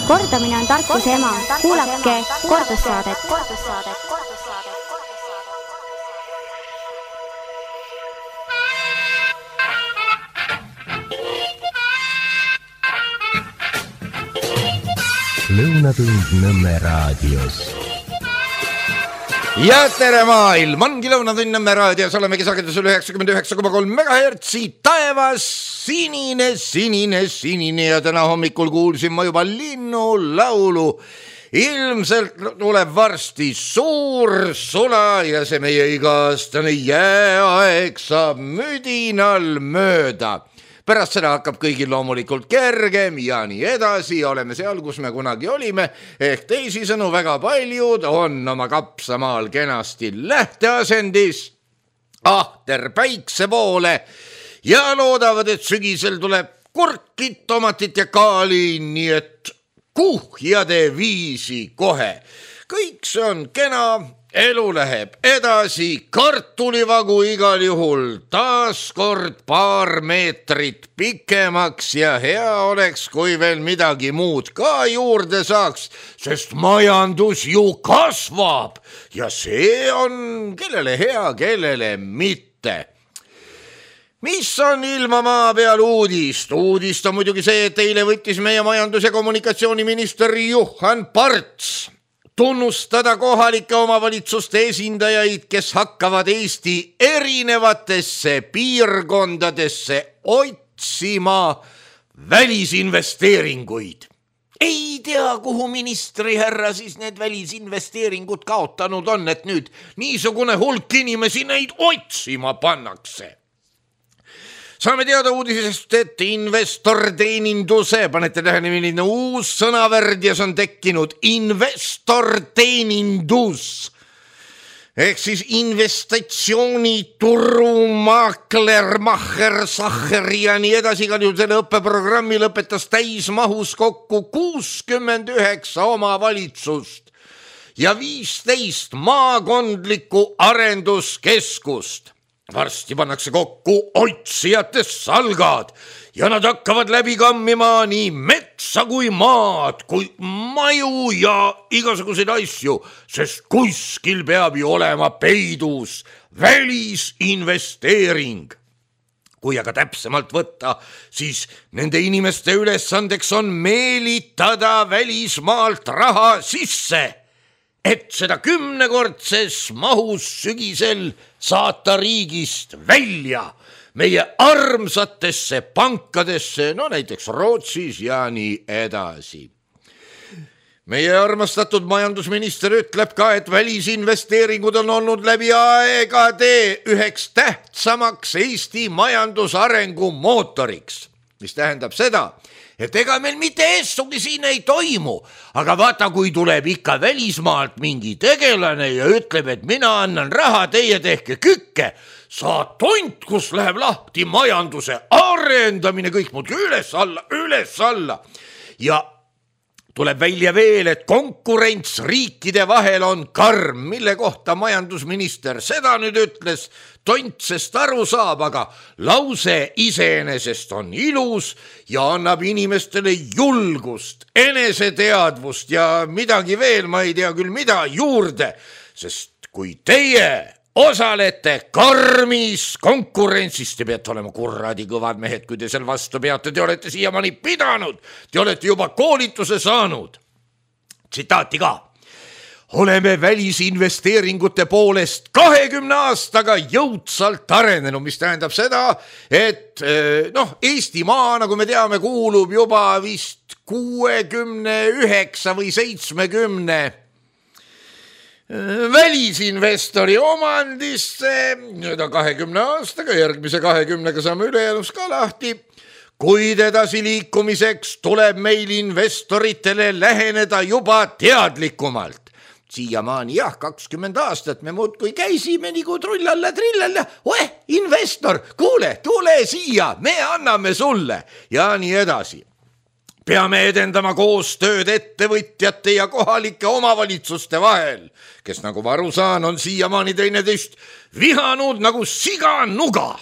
Kordamine on tarkuse ema. Kuulake kordussaadet. Lõunatund Nõmme raadios. Ja tere maailm, ongi Lõunatund Nõmme raadios, olemegi sagedusel 99,3 MHz, taevas sinine ja täna hommikul kuulsin ma juba linnulaulu. Ilmselt tuleb varsti suur sula ja see meie iga-aastane jääaeg saab müdinal mööda. Pärast seda hakkab kõigil loomulikult kergem ja nii edasi, oleme seal, kus me kunagi olime, ehk teisisõnu väga paljud on oma kapsamaal kenasti lähteasendis, ahter päikse poole ja loodavad, et sügisel tuleb kurkit, tomatit ja kaali, nii et kuhjade viisi kohe. Kõik see on kena. Elu läheb edasi, kartulivagu igal juhul taaskord paar meetrit pikemaks ja hea oleks, kui veel midagi muud ka juurde saaks, sest majandus ju kasvab ja see on kellele hea, kellele mitte. Mis on ilma maa peal uudist? Uudist on muidugi see, et eile võttis meie majandus- ja kommunikatsiooniminister Juhan Parts tunnustada kohalike omavalitsuste esindajaid, kes hakkavad Eesti erinevatesse piirkondadesse otsima välisinvesteeringuid. Ei tea, kuhu ministri härra siis need välisinvesteeringud kaotanud on, et nüüd niisugune hulk inimesi neid otsima pannakse. Saame teada uudisest, et investorteeninduse, panete tähele, milline uus sõnavärd ja see on tekkinud, investorteenindus, ehk siis investatsioonituru, maakler, maher, saher ja nii edasi, ka nüüd selle õppeprogrammi lõpetas täismahus kokku 69 omavalitsust ja 15 maakondlikku arenduskeskust. Varsti pannakse kokku otsijate salgad ja nad hakkavad läbi kammima nii metsa kui maad, kui maju ja igasuguseid asju, sest kuskil peab ju olema peidus välisinvesteering. Kui aga täpsemalt võtta, siis nende inimeste ülesandeks on meelitada välismaalt raha sisse, et seda 10-kordses mahus sügisel saata riigist välja meie armsatesse pankadesse, no näiteks Rootsis ja nii edasi. Meie armastatud majandusminister ütleb ka, et välisinvesteeringud on olnud läbi aegade üheks tähtsamaks Eesti majandusarengu mootoriks, mis tähendab seda, et ega meil mitte eessugi siin ei toimu, aga vaata, kui tuleb ikka välismaalt mingi tegelane ja ütleb, et mina annan raha, teie tehke kükke, saad tont, kus läheb lahti majanduse arendamine, kõik muudki üles alla. Ja tuleb välja veel, et konkurents riikide vahel on karm, mille kohta majandusminister seda nüüd ütles, tontsest aru saab, aga lause iseenesest on ilus ja annab inimestele julgust, eneseteadvust ja midagi veel, ma ei tea küll mida, juurde, sest kui teie osalete karmis konkurentsis, te peate olema kurradi kõvad mehed, kui te seal vastu peate, te olete siiamaani pidanud, te olete juba koolituse saanud. Tsitaati ka. Oleme välisinvesteeringute poolest 20 aastaga jõudsalt arenenud, mis tähendab seda, et Eestimaa, nagu me teame, kuulub juba vist 69 või 70 välisinvestori omandisse, nüüd on 20 aastaga, järgmise 20-ga saame ülejäänus ka lahti. Kuid edasi liikumiseks tuleb meil investoritele läheneda juba teadlikumalt. Siiamaani 20 aastat me muudkui käisime nagu trullalla, investor, kuule, tule siia, me anname sulle ja nii edasi. Peame edendama koostööd ettevõtjate ja kohalike omavalitsuste vahel, kes nagu ma aru saan, on siiamaani teineteist vihanud nagu siganuga.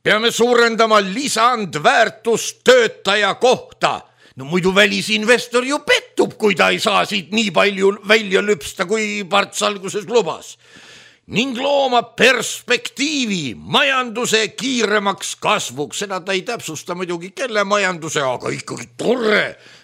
Peame suurendama lisandväärtust töötaja kohta no muidu välisinvestor ju pettub, kui ta ei saa siit nii palju välja lüpsta, kui Parts alguses lubas. Ning looma perspektiivi majanduse kiiremaks kasvuks. Seda ta ei täpsusta muidugi kelle majanduse, aga ikkagi tore.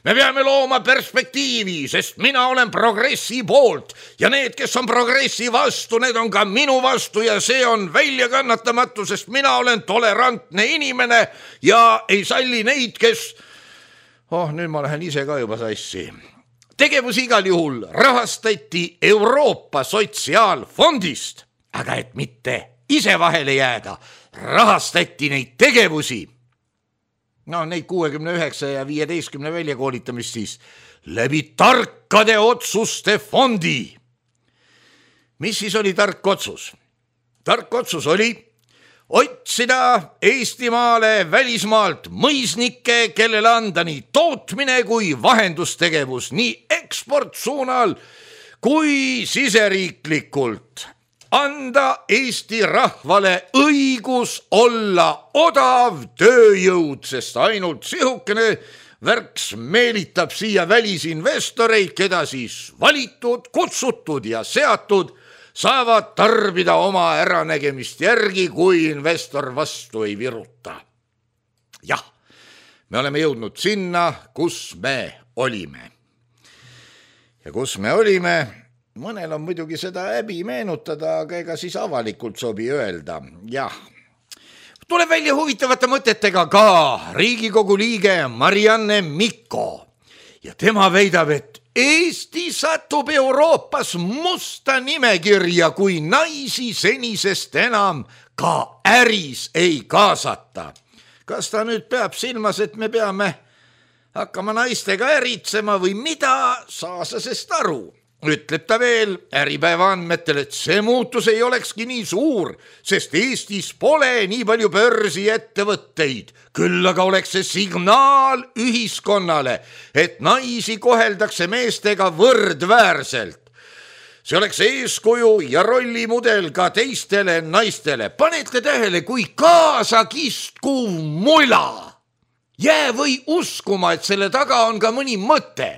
Me peame looma perspektiivi, sest mina olen progressi poolt ja need, kes on progressi vastu, need on ka minu vastu ja see on väljakannatamatu, sest mina olen tolerantne inimene ja ei salli neid, kes... nüüd ma lähen ise ka juba sassi. Tegevus igal juhul rahastati Euroopa Sotsiaalfondist, aga et mitte ise vahele jääda, rahastati neid tegevusi. Neid 69 ja 15 väljakoolitamist siis läbi tarkade otsuste fondi. Mis siis oli tark otsus? Tark otsus oli otsida Eestimaale välismaalt mõisnikke, kellele anda nii tootmine kui vahendustegevus nii eksportsuunal kui siseriiklikult. Anda Eesti rahvale õigus olla odav tööjõud, sest ainult sihukene värks meelitab siia välisinvestoreid, keda siis valitud, kutsutud ja seatud saavad tarbida oma äranägemist järgi, kui investor vastu ei viruta. Jah, me oleme jõudnud sinna, kus me olime. Ja kus me olime, mõnel on muidugi seda häbi meenutada, aga ega siis avalikult sobi öelda. Jah, tuleb välja huvitavate mõtetega ka Riigikogu liige Marianne Mikko ja tema väidab, et Eesti satub Euroopas musta nimekirja, kui naisi senisest enam ka äris ei kaasata. Kas ta nüüd peab silmas, et me peame hakkama naistega äritsema või mida, saa sa sest aru? Ütleb ta veel Äripäeva andmetel, et see muutus ei olekski nii suur, sest Eestis pole nii palju börsi ettevõtteid. Küll aga oleks see signaal ühiskonnale, et naisi koheldakse meestega võrdväärselt. See oleks eeskuju ja rollimudel ka teistele naistele. Panete tähele, kui kaasakistkuv mula. Jää või uskuma, et selle taga on ka mõni mõte.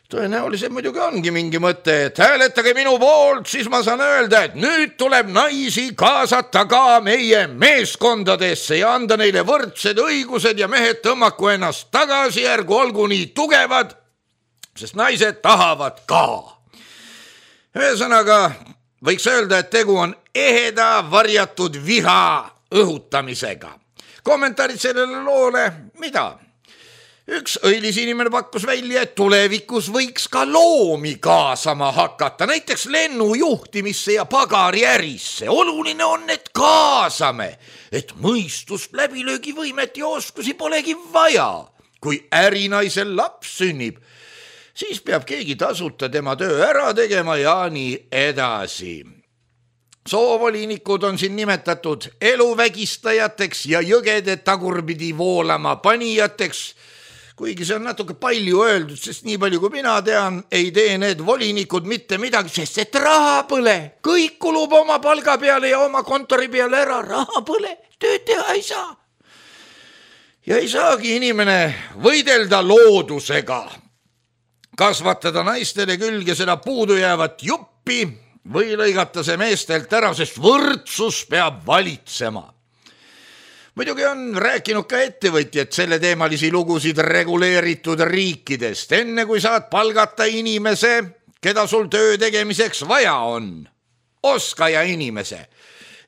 Tõenäoliselt muidugi ongi mingi mõte, et hääletage minu poolt, siis ma saan öelda, et nüüd tuleb naisi kaasata ka meie meeskondadesse ja anda neile võrdsed õigused ja mehed tõmmaku ennast tagasi, ärgu olgu nii tugevad, sest naised tahavad ka. Ühesõnaga, võiks öelda, et tegu on eheda varjatud viha õhutamisega. Kommentaarid sellele loole, mida? Üks õilis inimene pakkus välja, et tulevikus võiks ka loomi kaasama hakata, näiteks lennujuhtimisse ja pagariärisse. Oluline on, et kaasame, et mõistust, läbilöögivõimet ja oskusi polegi vaja. Kui ärinaisel laps sünnib, siis peab keegi tasuta tema töö ära tegema ja nii edasi. Soovolinikud on siin nimetatud eluvägistajateks ja jõgede tagurpidi voolama panijateks, kuigi see on natuke palju öeldud, sest nii palju kui mina tean, ei tee need volinikud mitte midagi, sest et raha põle. Kõik kulub oma palga peale ja oma kontori peale ära. Raha põle, tööd teha ei saa. Ja ei saagi inimene võidelda loodusega. Kasvatada naistele külge seda puudu jäävat juppi või lõigata see meestelt ära, sest võrdsus peab valitsema. Muidugi on rääkinud ka ettevõtjad selle teemalisi lugusid reguleeritud riikidest. Enne kui saad palgata inimese, keda sul töö tegemiseks vaja on, oskaja inimese.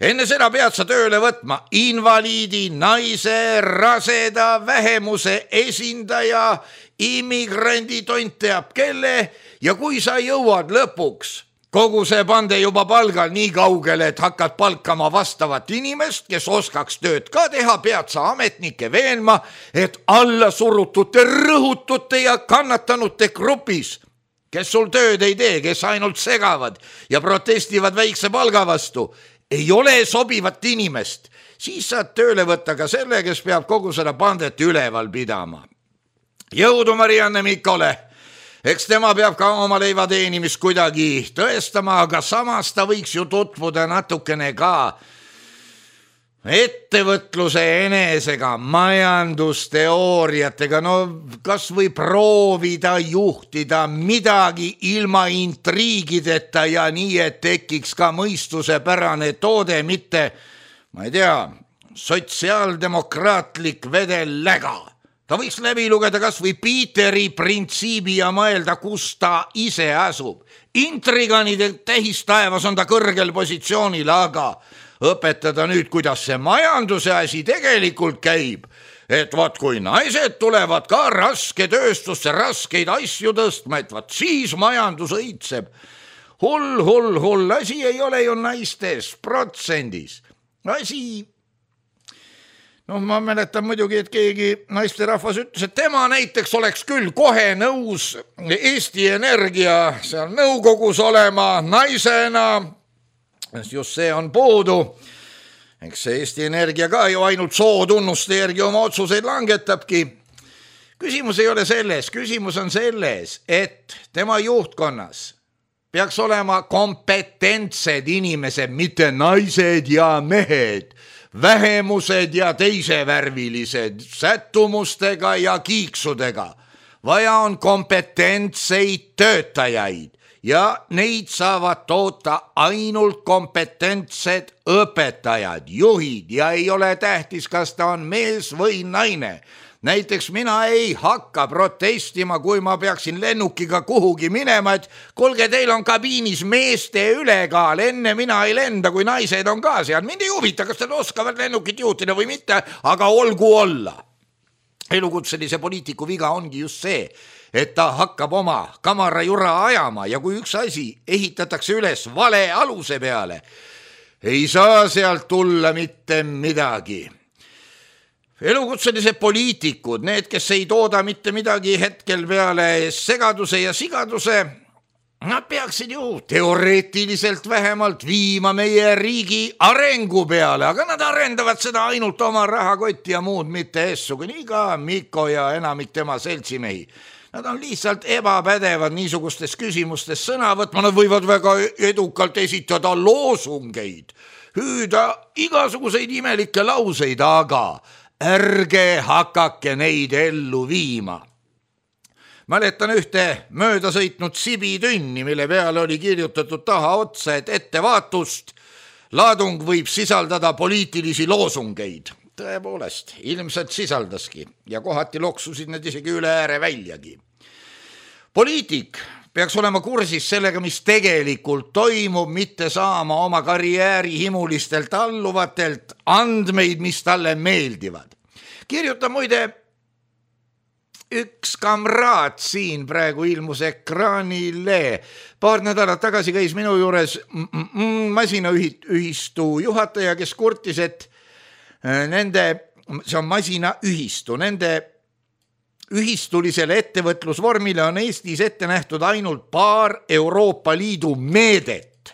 Enne seda pead sa tööle võtma invaliidi, naise, raseda, vähemuse esindaja, immigrandi, tont teab kelle ja kui sa jõuad lõpuks kogu see pande juba palgal nii kaugele, et hakkad palkama vastavat inimest, kes oskaks tööd ka teha, pead sa ametnike veenma, et alla surutute, rõhutute ja kannatanute grupis, kes sul tööd ei tee, kes ainult segavad ja protestivad väikse palga vastu, ei ole sobivat inimest, siis saad tööle võtta ka selle, kes peab kogu seda pandet üleval pidama. Jõudu Marianne Mikole! Eks tema peab ka oma leiva teenimist kuidagi tõestama, aga samas ta võiks ju tutvuda natukene ka ettevõtluse enesega, majandusteooriatega, no kas või proovida juhtida midagi ilma intriigideta ja nii, et tekiks ka mõistusepärane toode, mitte, ma ei tea, sotsiaaldemokraatlik vedelläga. Ta võiks läbi lugeda kas või Peteri printsiibi ja mõelda, kus ta ise asub. Intriganide tähistaevas on ta kõrgel positsioonil, aga õpetada nüüd, kuidas see majanduse asi tegelikult käib, et vaat kui naised tulevad ka raske tööstusse raskeid asju tõstma, et vaat siis majandus õitseb. Hull, asi ei ole ju naistes protsendis. Asi, ma mäletan muidugi, et keegi naisterahvas ütles, et tema näiteks oleks küll kohe nõus Eesti Energia seal nõukogus olema naisena. Just see on puudu. Eks see Eesti Energia ka ju ainult sootunnuste järgi oma otsuseid langetabki. Küsimus ei ole selles, küsimus on selles, et tema juhtkonnas peaks olema kompetentsed inimesed, mitte naised ja mehed, vähemused ja teisevärvilised, sättumustega ja kiiksudega. Vaja on kompetentseid töötajaid. Ja neid saavad toota ainult kompetentsed õpetajad, juhid ja ei ole tähtis, kas ta on mees või naine. Näiteks mina ei hakka protestima, kui ma peaksin lennukiga kuhugi minema, et kuulge, teil on kabiinis meeste ülekaal, enne mina ei lenda, kui naised on ka seal. Mind ei huvita, kas nad oskavad lennukit juhtida või mitte, aga olgu olla. Elukutselise poliitiku viga ongi just see, et ta hakkab oma kamarajura ajama ja kui üks asi ehitatakse üles vale aluse peale, ei saa sealt tulla mitte midagi. Elukutselised poliitikud, need, kes ei tooda mitte midagi hetkel peale segaduse ja sigaduse, nad peaksid ju teoreetiliselt vähemalt viima meie riigi arengu peale, aga nad arendavad seda ainult oma rahakotti ja muud mitte essugi, nii ka Mikko ja enamik tema seltsimehi. Nad on lihtsalt ebapädevad niisugustes küsimustes sõna võtma, nad võivad väga edukalt esitada loosungeid, hüüda igasuguseid imelikke lauseid, aga ärge hakake neid ellu viima. Mäletan ühte mööda sõitnud sibitünni, mille peale oli kirjutatud taha otsa, et ettevaatust, laadung võib sisaldada poliitilisi loosungeid. Tõepoolest, ilmselt sisaldaski ja kohati loksusid need isegi üle ääre väljagi. Poliitik peaks olema kursis sellega, mis tegelikult toimub, mitte saama oma karjääri himulistelt alluvatelt andmeid, mis talle meeldivad. Kirjuta muide üks kamraad siin praegu ilmus ekraanile. Paar nädalat tagasi käis minu juures masinaühistu juhataja, kes kurtis, et see on masinaühistu, nende ühistulisele ettevõtlusvormile on Eestis ette nähtud ainult paar Euroopa Liidu meedet.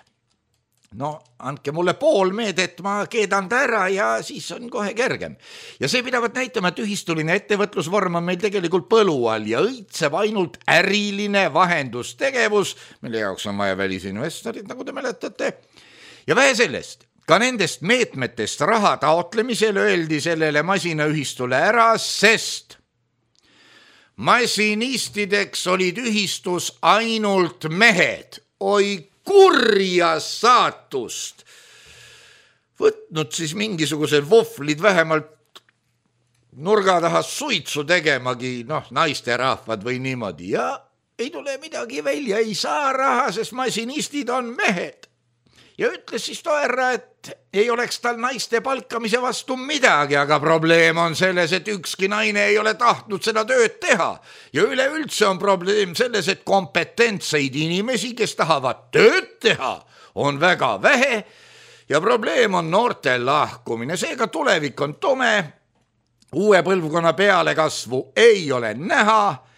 No, andke mulle pool meedet, ma keedan ta ära ja siis on kohe kergem. Ja see pidavat näitama, et ühistuline ettevõtlusvorm on meil tegelikult põlu all ja õitseb ainult äriline vahendustegevus, mille jaoks on vaja välisinvestorid, nagu te mäletate. Ja vähe sellest, ka nendest meetmetest raha taotlemisel öeldi sellele masinaühistule ära, sest masinistideks olid ühistus ainult mehed. Oi kurja saatust. Võtnud siis mingisugused vohvlid vähemalt nurga taha suitsu tegemagi, naisterahvad või niimoodi. Ja ei tule midagi välja, ei saa raha, sest masinistid on mehed. Ja ütles siis Toera, et ei oleks tal naiste palkamise vastu midagi, aga probleem on selles, et ükski naine ei ole tahtnud seda tööd teha. Ja üleüldse on probleem selles, et kompetentseid inimesi, kes tahavad tööd teha, on väga vähe ja probleem on noorte lahkumine. Seega tulevik on tume, uue põlvkonna pealekasvu ei ole näha.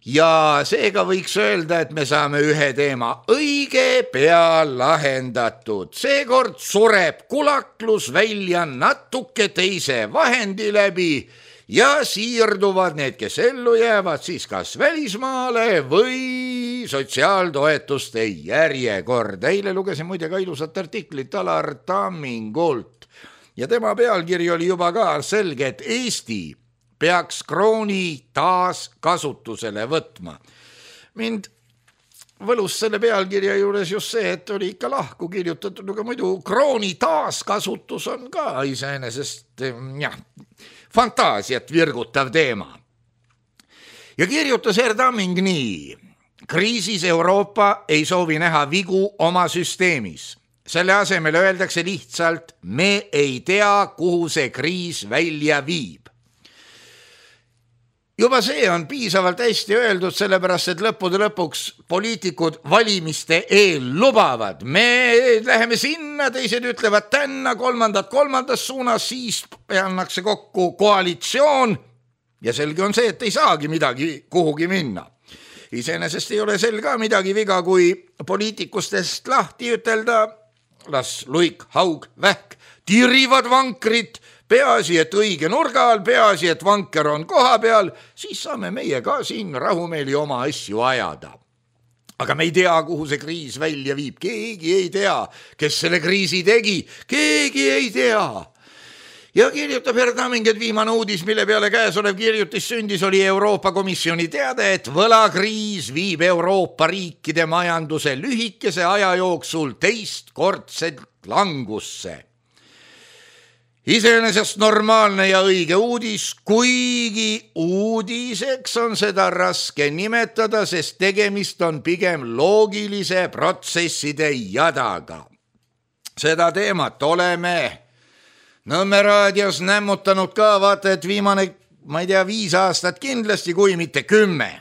Ja seega võiks öelda, et me saame ühe teema õige pea lahendatud. Seekord sureb kulaklus välja natuke teise vahendi läbi ja siirduvad need, kes ellu jäävad, siis kas välismaale või sotsiaaltoetuste järjekord. Eile lugesin muide ka ilusat artiklit Alar Tammingult ja tema pealkiri oli juba ka selge, et Eesti peaks krooni taas kasutusele võtma. Mind võlus selle pealkirja juures just see, et oli ikka lahku kirjutatud, aga muidu krooni taaskasutus on ka iseenesest fantaasiat virgutav teema. Ja kirjutas Tamming nii: kriisis Euroopa ei soovi näha vigu oma süsteemis. Selle asemel öeldakse lihtsalt, me ei tea, kuhu see kriis välja viib. Juba see on piisavalt hästi öeldud, sellepärast, et lõppude lõpuks poliitikud valimiste eel lubavad. Me läheme sinna, teised ütlevad tänna, kolmandas suunas, siis pannakse kokku koalitsioon ja selge on see, et ei saagi midagi kuhugi minna. Iseenesest ei ole sel ka midagi viga, kui poliitikustest lahti ütelda, las luik, haug, vähk, tirivad vankrit, peaasi, et õige nurga all, peaasi, et vanker on koha peal, siis saame meie ka siin rahumeeli oma asju ajada. Aga me ei tea, kuhu see kriis välja viib, keegi ei tea, kes selle kriisi tegi, keegi ei tea. Ja kirjutab Tamming, et viimane uudis, mille peale käesolev kirjutis sündis, oli Euroopa Komisjoni teade, et võlakriis viib Euroopa riikide majanduse lühikese aja jooksul teistkordselt langusse. Iseenesest normaalne ja õige uudis, kuigi uudiseks on seda raske nimetada, sest tegemist on pigem loogilise protsesside jadaga. Seda teemat oleme Nõmme raadios nämmutanud ka, vaata, et viimane, 5 aastat kindlasti, kui mitte 10.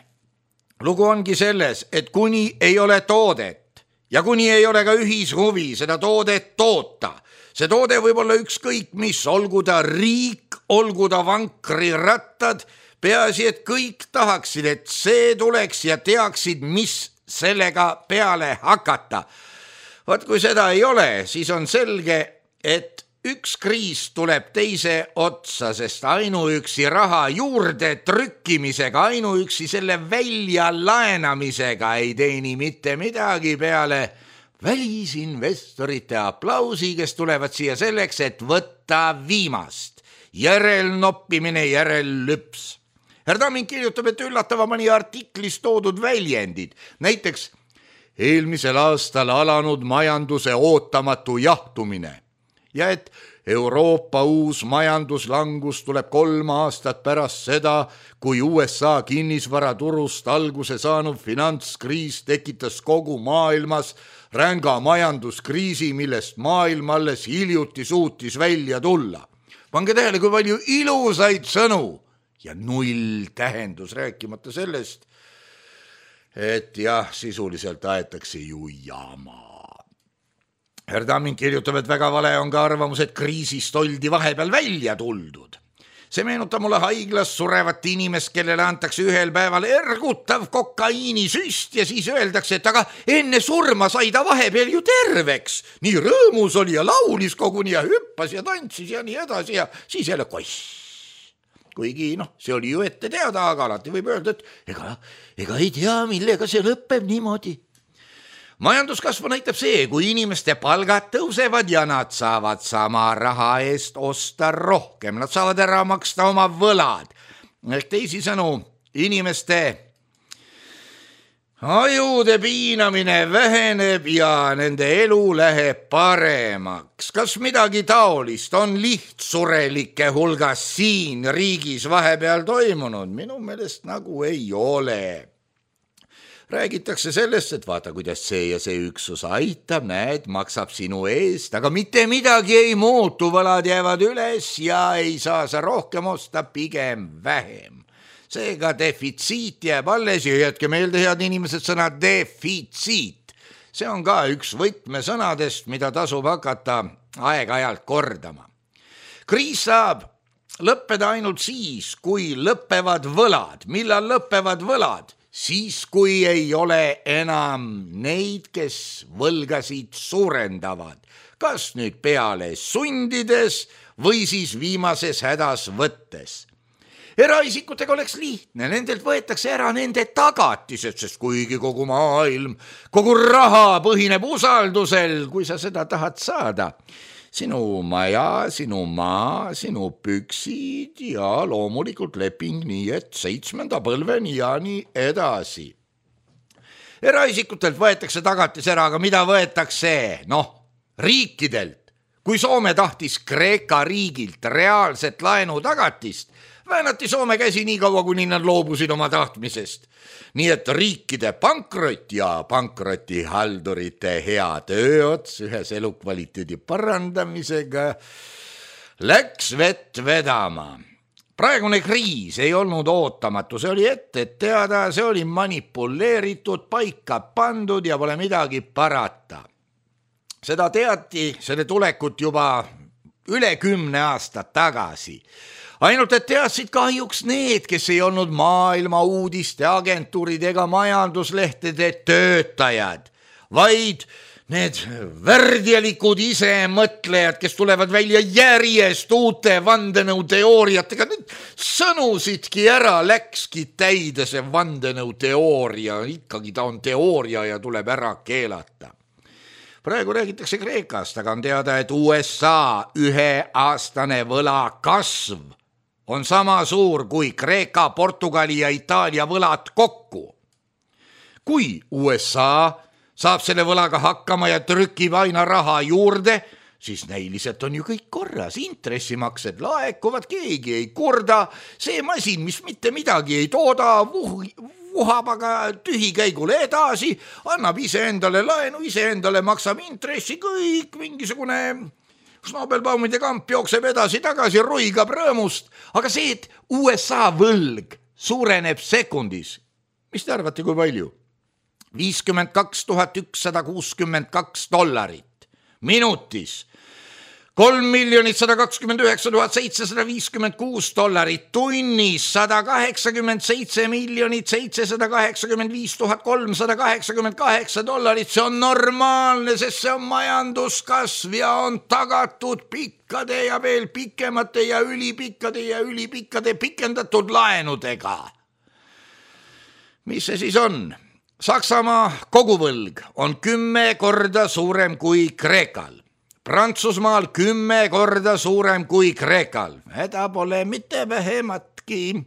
Lugu ongi selles, et kuni ei ole toodet ja kuni ei ole ka ühishuvi seda toodet toota, see toode võib olla ükskõik mis, olgu ta riik, olgu ta vankrirattad, peaasi, et kõik tahaksid, et see tuleks ja teaksid, mis sellega peale hakata. Vaat kui seda ei ole, siis on selge, et üks kriis tuleb teise otsa, sest ainuüksi raha juurde trükkimisega, ainuüksi selle välja laenamisega ei teeni mitte midagi peale välisinvestorite aplausi, kes tulevad siia selleks, et võtta viimast. Järelnoppimine, järellüps. Tamming kirjutab, et üllatava mõni artiklis toodud väljendid. Näiteks eelmisel aastal alanud majanduse ootamatu jahtumine. Ja et Euroopa uus majanduslangus tuleb 3 aastat pärast seda, kui USA kinnisvaraturust alguse saanud finantskriis tekitas kogu maailmas ränga majanduskriisi, millest maailm alles hiljuti suutis välja tulla. Pange tähele, kui palju ilusaid sõnu ja 0 tähendus, rääkimata sellest, et jah, sisuliselt aetakse ju jama. Tamming kirjutab, et väga vale on ka arvamus, et kriisist oldi vahepeal välja tuldud. See meenutab mulle haiglas surevat inimest, kellele antakse ühel päeval ergutav kokaiinisüst ja siis öeldakse, et aga enne surma sai ta vahepeal ju terveks. Nii rõõmus oli ja laulis koguni ja hüppas ja tantsis ja nii edasi ja siis jälle koss. Kuigi see oli ju ette teada, aga alati võib öelda, et ega ei tea, millega see lõpeb niimoodi. Majanduskasvu näitab see, kui inimeste palgad tõusevad ja nad saavad sama raha eest osta rohkem. Nad saavad ära maksta oma võlad. Teisisõnu, inimeste ajude piinamine väheneb ja nende elu läheb paremaks. Kas midagi taolist on lihtsurelike hulgas siin riigis vahepeal toimunud? Minu meelest nagu ei ole. Räägitakse sellest, et vaata, kuidas see ja see üksus aitab, näed, maksab sinu eest, aga mitte midagi ei muutu, võlad jäävad üles ja ei saa sa rohkem osta, pigem vähem. Seega defitsiit jääb alles ja jätke meelde, head inimesed, sõna defitsiit. See on ka üks võtmesõnadest, mida tasub hakata aeg-ajalt kordama. Kriis saab lõppeda ainult siis, kui lõppevad võlad. Millal lõppevad võlad? Siis, kui ei ole enam neid, kes võlgasid suurendavad, kas nüüd peale sundides või siis viimases hädas võttes. Eraisikutega oleks lihtne, nendelt võetakse ära nende tagatised, sest kuigi kogu maailm, kogu raha põhineb usaldusel, kui sa seda tahad saada, sinu maja, sinu maa, sinu püksid ja loomulikult leping nii, et 7. põlveni ja nii edasi. Eraisikutelt võetakse tagatis ära, aga mida võetakse? Riikidelt. Kui Soome tahtis Kreeka riigilt reaalset laenu tagatist, väänati Soome käsi nii kaua, kuni nad loobusid oma tahtmisest. Nii et riikide pankrot ja pankrotihaldurite hea tööots ühes elukvaliteedi parandamisega läks vett vedama. Praegune kriis ei olnud ootamatu, see oli ette teada, see oli manipuleeritud, paika pandud ja pole midagi parata. Seda teati, selle tulekut juba üle 10 aastat tagasi. Ainult et teadsid kahjuks need, kes ei olnud maailma uudiste agentuurid ega majanduslehtede töötajad, vaid need värdjalikud isemõtlejad, kes tulevad välja järjest uute vandenõuteooriatega. Nüüd sõnusidki ära, läkski täide see vandenõuteooria, ikkagi ta on teooria ja tuleb ära keelata. Praegu räägitakse Kreekast, aga on teada, et USA 1-aastane võla kasv on sama suur kui Kreeka, Portugali ja Itaalia võlad kokku. Kui USA saab selle võlaga hakkama ja trükib aina raha juurde, siis näiliselt on ju kõik korras, intressimaksed laekuvad, keegi ei kurda, see masin, mis mitte midagi ei tooda, vuhab aga tühikäigule edasi, annab iseendale laenu, iseendale maksab intressi, kõik mingisugune Schnabelbaumide kamp jookseb edasi-tagasi, ruigab rõõmust, aga see, et USA võlg suureneb sekundis, mis te arvate, kui palju? $52 162 minutis, $3 129 756 tunnis, $187 785 388, see on normaalne, sest see on majanduskasv ja on tagatud pikkade ja veel pikemate ja ülipikkade pikendatud laenudega. Mis see siis on? Saksamaa koguvõlg on 10 korda suurem kui Kreekal. Prantsusmaal 10 korda suurem kui Kreekal. Häda pole mitte vähematki.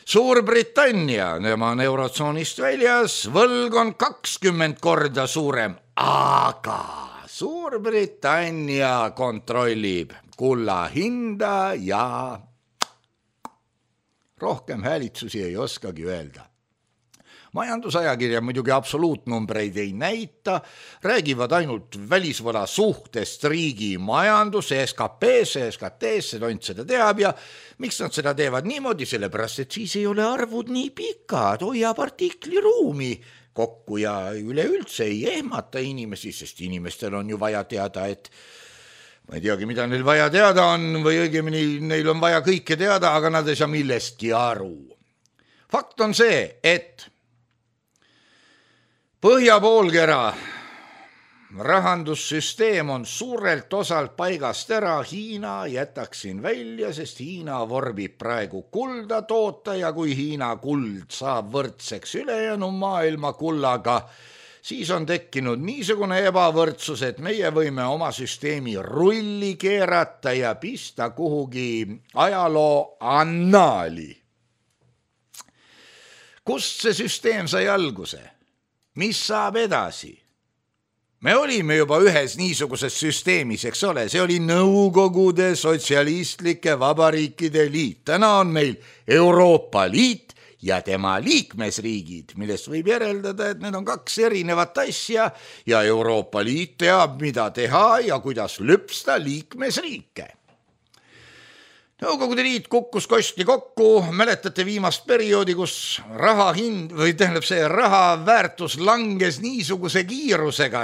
Suurbritannia, nema on eurotsoonist väljas, võlg on 20 korda suurem. Aga Suurbritannia kontrollib kulla hinda ja rohkem häälitsusi ei oskagi öelda. Majandusajakirja muidugi absoluutnumbreid ei näita, räägivad ainult välisvõla suhtest riigi majanduse, SKT-sse, tont seda teab ja miks nad seda teevad niimoodi, sellepärast, et siis ei ole arvud nii pikad, hoiab artikli ruumi kokku ja üleüldse ei ehmata inimesi, sest inimestel on ju vaja teada, et ma ei teagi, mida neil vaja teada on või õigemini neil on vaja kõike teada, aga nad ei saa millestki aru. Fakt on see, et Põhjapoolkera rahandussüsteem on suurelt osalt paigast ära, Hiina jätaksin välja, sest Hiina vorbib praegu kulda toota ja kui Hiina kuld saab võrdseks ülejäänu maailma kullaga, siis on tekkinud niisugune ebavõrdsus, et meie võime oma süsteemi rulli keerata ja pista kuhugi ajaloo annaali. Kust see süsteem sai alguse? Mis saab edasi? Me olime juba ühes niisuguses süsteemis, eks ole, see oli Nõukogude Sotsialistlike Vabariikide Liit. Täna on meil Euroopa Liit ja tema liikmesriigid, millest võib järeldada, et need on 2 erinevat asja ja Euroopa Liit teab, mida teha ja kuidas lüpsta liikmesriike. Nõukogude Liit kukkus kosti kokku, mäletate viimast perioodi, kus raha väärtus langes niisuguse kiirusega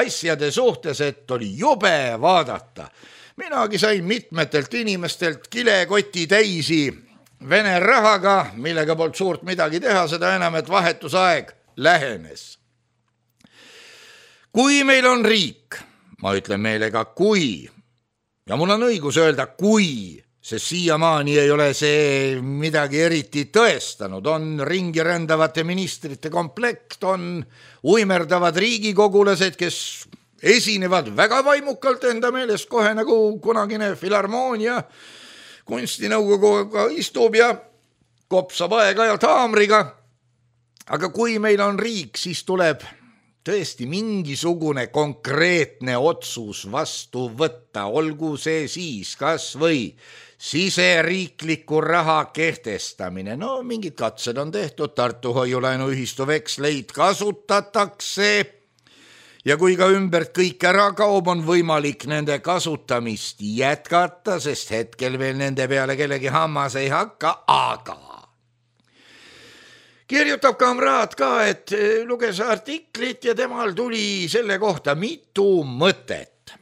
asjade suhtes, et oli jube vaadata. Minagi sain mitmetelt inimestelt kilekoti täisi Vene rahaga, millega polnud suurt midagi teha, seda enam, et vahetusaeg lähenes. Kui meil on riik, ma ütlen meelega kui, ja mul on õigus öelda kui, sest siiamaani ei ole see midagi eriti tõestanud, on ringi rändavate ministrite komplekt, on uimerdavad riigikogulased, kes esinevad väga vaimukalt enda meelest kohe nagu kunagine filharmoonia kunstinõukoguga istub ja kopsab aeg-ajalt haamriga. Aga kui meil on riik, siis tuleb tõesti mingisugune konkreetne otsus vastu võtta, olgu see siis kas või siseriikliku raha kehtestamine. No mingid katsed on tehtud, Tartu hoiulaenuühistu veksleid kasutatakse ja kui ka ümbert kõik ära kaob, on võimalik nende kasutamist jätkata, sest hetkel veel nende peale kellegi hammas ei hakka, aga kirjutab kamraad ka, et luges artiklit ja temal tuli selle kohta mitu mõtet.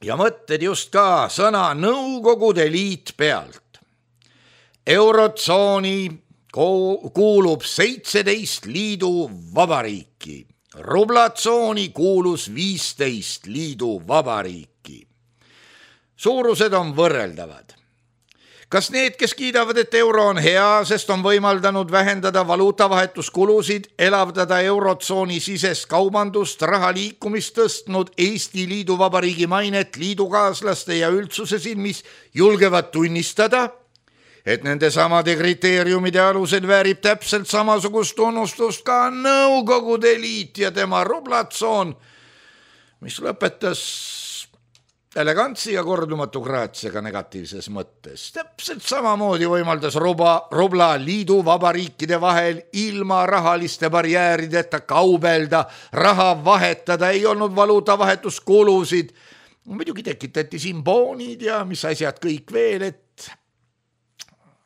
Ja mõtted just ka sõna Nõukogude Liit pealt. Eurotsooni kuulub 17 liidu vabariiki. Rublatsooni kuulus 15 liidu vabariiki. Suurused on võrreldavad. Kas need, kes kiidavad, et euro on hea, sest on võimaldanud vähendada valuutavahetuskulusid, elavdada eurotsooni sisest kaubandust, raha liikumist tõstnud Eesti Liidu Vabariigi mainet liidukaaslaste ja üldsuse silmis, julgevad tunnistada, et nende samade kriteeriumide alusel väärib täpselt samasugust tunnustust ka Nõukogude Liit ja tema rublatsoon, mis lõpetas elegantsi ja kordumatu graatsiaga negatiivses mõttes. Täpselt samamoodi võimaldas rubla liidu vabariikide vahel ilma rahaliste barjäärideta kaubelda, raha vahetada, ei olnud valuutavahetuskulusid. Muidugi tekitati siin boonid ja mis asjad kõik veel,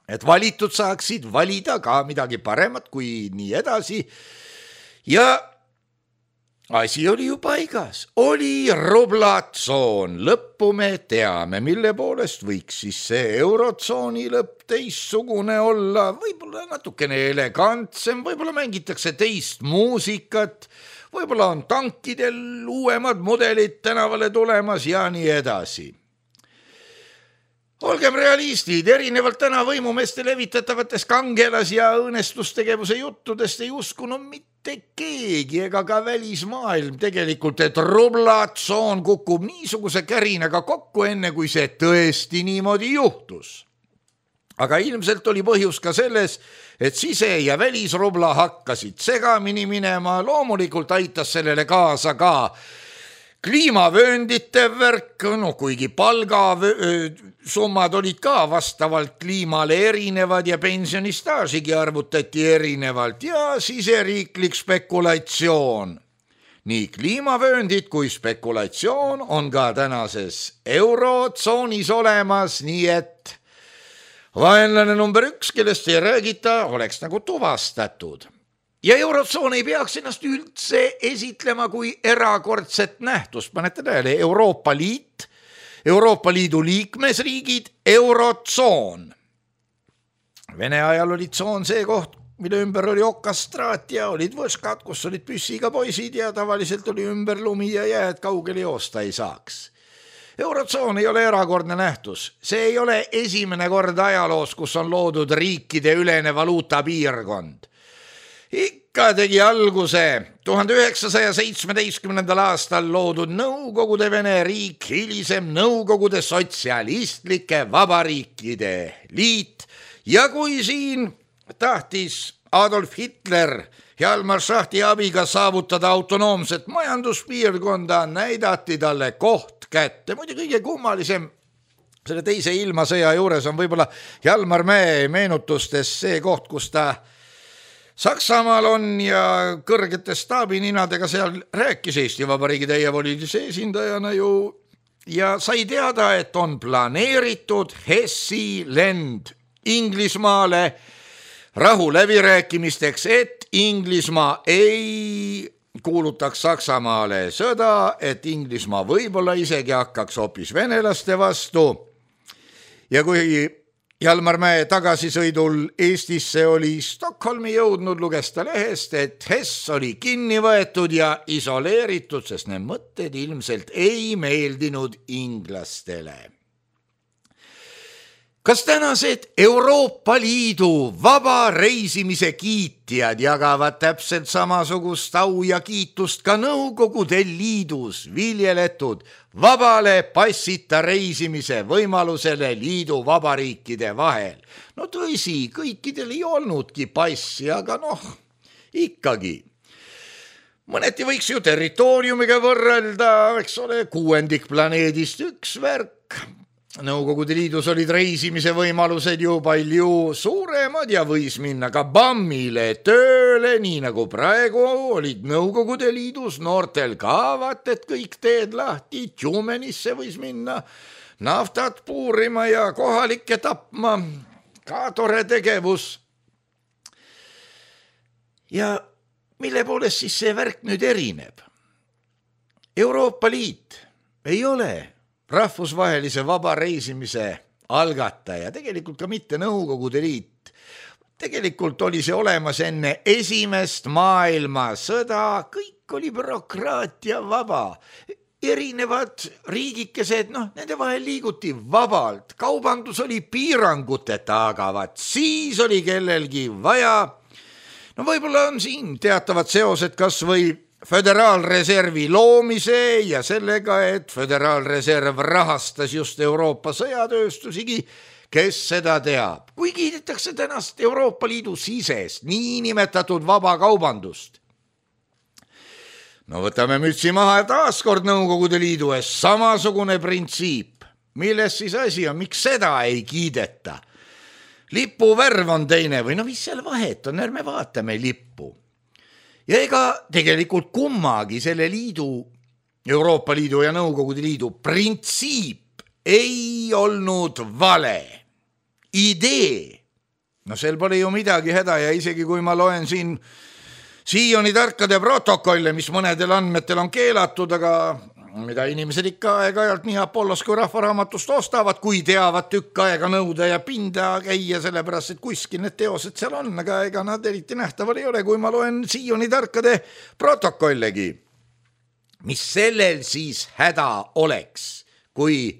et valitud saaksid valida ka midagi paremat kui nii edasi. Ja asi oli ju paigas, oli rublatsoon, lõppu me teame, mille poolest võiks siis see eurotsooni lõpp teistsugune olla, võib-olla natukene elegantsem, võib-olla mängitakse teist muusikat, võib-olla on tankidel uuemad mudelid tänavale tulemas ja nii edasi. Olgem realistid, erinevalt täna võimumeeste levitatavatest kangelas- ja õõnestustegevuse juttudest ei uskunud mitte keegi ega ka välismaailm tegelikult, et rublatsoon kukub niisuguse kärinaga kokku, enne kui see tõesti niimoodi juhtus. Aga ilmselt oli põhjus ka selles, et sise- ja välisrubla hakkasid segamini minema, loomulikult aitas sellele kaasa ka kliimavööndite värk, kuigi palgasummad olid ka vastavalt kliimale erinevad ja pensionistaažigi arvutati erinevalt ja siseriiklik spekulatsioon. Nii kliimavööndid kui spekulatsioon on ka tänases eurotsoonis olemas, nii et vaenlane number 1, kellest ei räägita, oleks nagu tuvastatud. Ja eurotsoon ei peaks ennast üldse esitlema kui erakordset nähtust. Panete tähele, Euroopa Liit, Euroopa Liidu liikmesriigid, eurotsoon. Vene ajal oli tsoon see koht, mille ümber oli okastraat ja olid võskad, kus olid püssiga poisid ja tavaliselt oli ümber lumi ja jääd, kaugele joosta ei saaks. Eurotsoon ei ole erakordne nähtus. See ei ole esimene kord ajaloos, kus on loodud riikide ülene valuutapiirkond. Ikka tegi alguse 1917. aastal loodud Nõukogude Vene riik, hilisem Nõukogude sotsialistlike vabariikide liit ja kui siin tahtis Adolf Hitler Hjalmar Schahti abiga saavutada autonoomset majanduspiirkonda, näidati talle koht kätte. Muidu kõige kummalisem selle teise ilmasõja juures on võib-olla Hjalmar Mäe meenutustes see koht, kus ta Saksamaal on ja kõrgete staabininadega seal rääkis Eesti Vabariigi täievolilise esindajana ju ja sai teada, et on planeeritud Hessi lend Inglismaale rahuläbirääkimisteks, et Inglismaa ei kuulutaks Saksamaale sõda, et Inglismaa võib-olla isegi hakkaks hoopis venelaste vastu. Ja kui Hjalmar Mäe tagasisõidul Eestisse oli Stockholmi jõudnud, luges ta lehest, et Hess oli kinni võetud ja isoleeritud, sest need mõtted ilmselt ei meeldinud inglastele. Kas tänased Euroopa Liidu vaba reisimise kiitjad jagavad täpselt samasugust au ja kiitust ka Nõukogude Liidus viljeletud vabale passita reisimise võimalusele liidu vabariikide vahel? No tõsi, kõikidel ei olnudki passi, aga ikkagi. Mõneti võiks ju territooriumiga võrrelda, eks ole, 6 planeedist üks värk. Nõukogude Liidus olid reisimise võimalused ju palju suuremad ja võis minna ka bammile tööle, nii nagu praegu olid Nõukogude Liidus noortel ka, vaat et kõik teed lahti, Tjumenisse võis minna naftat puurima ja kohalikke tapma, ka tore tegevus. Ja mille poolest siis see värk nüüd erineb? Euroopa Liit ei ole rahvusvahelise vaba reisimise algataja, tegelikult ka mitte Nõukogude Liit. Tegelikult oli see olemas enne esimest maailmasõda, kõik oli bürokraatia vaba. Erinevad riigikesed, nende vahel liiguti vabalt, kaubandus oli piiranguteta, aga vaat siis oli kellelgi vaja. Võib-olla on siin teatavad seosed kas või Föderaalreservi loomise ja sellega, et Föderaalreserv rahastas just Euroopa sõjatööstusigi, kes seda teab. Kui kiidetakse tänast Euroopa Liidu sisest niinimetatud vabakaubandust. Võtame mütsi maha ja taaskord Nõukogude Liidu ees samasugune printsiip. Milles siis asi on, miks seda ei kiideta? Lipu värv on teine või mis seal vahet on, ärme vaatame lippu. Ja ega tegelikult kummagi selle liidu, Euroopa Liidu ja Nõukogude Liidu printsiip ei olnud vale. Idee. Sel pole ju midagi häda ja isegi kui ma loen siin Sioni tarkade protokolle, mis mõnedel andmetel on keelatud, aga mida inimesed ikka aeg-ajalt nii Apollos kui Rahvaraamatust ostavad, kui teavad tükk aega nõuda ja pinda käia, sellepärast, et kuskil need teosed seal on, aga ega nad eriti nähtaval ei ole, kui ma loen Sioni tarkade protokollegi. Mis sellel siis häda oleks, kui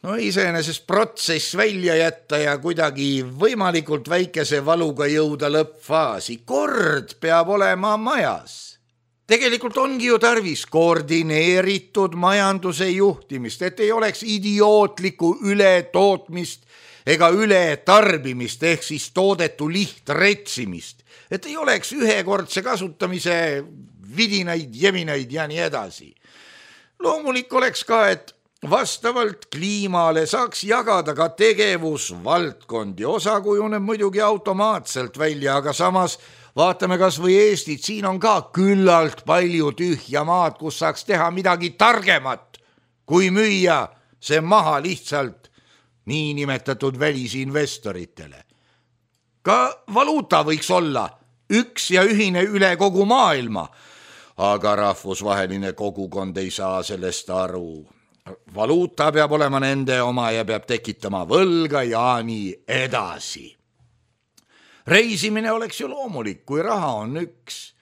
iseenesest protsess välja jätta ja kuidagi võimalikult väikese valuga jõuda lõppfaasi. Kord peab olema majas. Tegelikult ongi ju tarvis koordineeritud majanduse juhtimist, et ei oleks idiootlikku ületootmist ega ületarbimist ehk siis toodetu lihtretsimist, et ei oleks ühekordse kasutamise vidinaid, jeminaid ja nii edasi. Loomulik oleks ka, et vastavalt kliimale saaks jagada ka tegevusvaldkondi, osa kujuneb muidugi automaatselt välja, aga samas vaatame kas või Eestit, siin on ka küllalt palju tühja maad, kus saaks teha midagi targemat, kui müüa see maha lihtsalt niinimetatud välisinvestoritele. Ka valuuta võiks olla üks ja ühine üle kogu maailma, aga rahvusvaheline kogukond ei saa sellest aru. Valuuta peab olema nende oma ja peab tekitama võlga ja nii edasi. Reisimine oleks ju loomulik, kui raha on üks.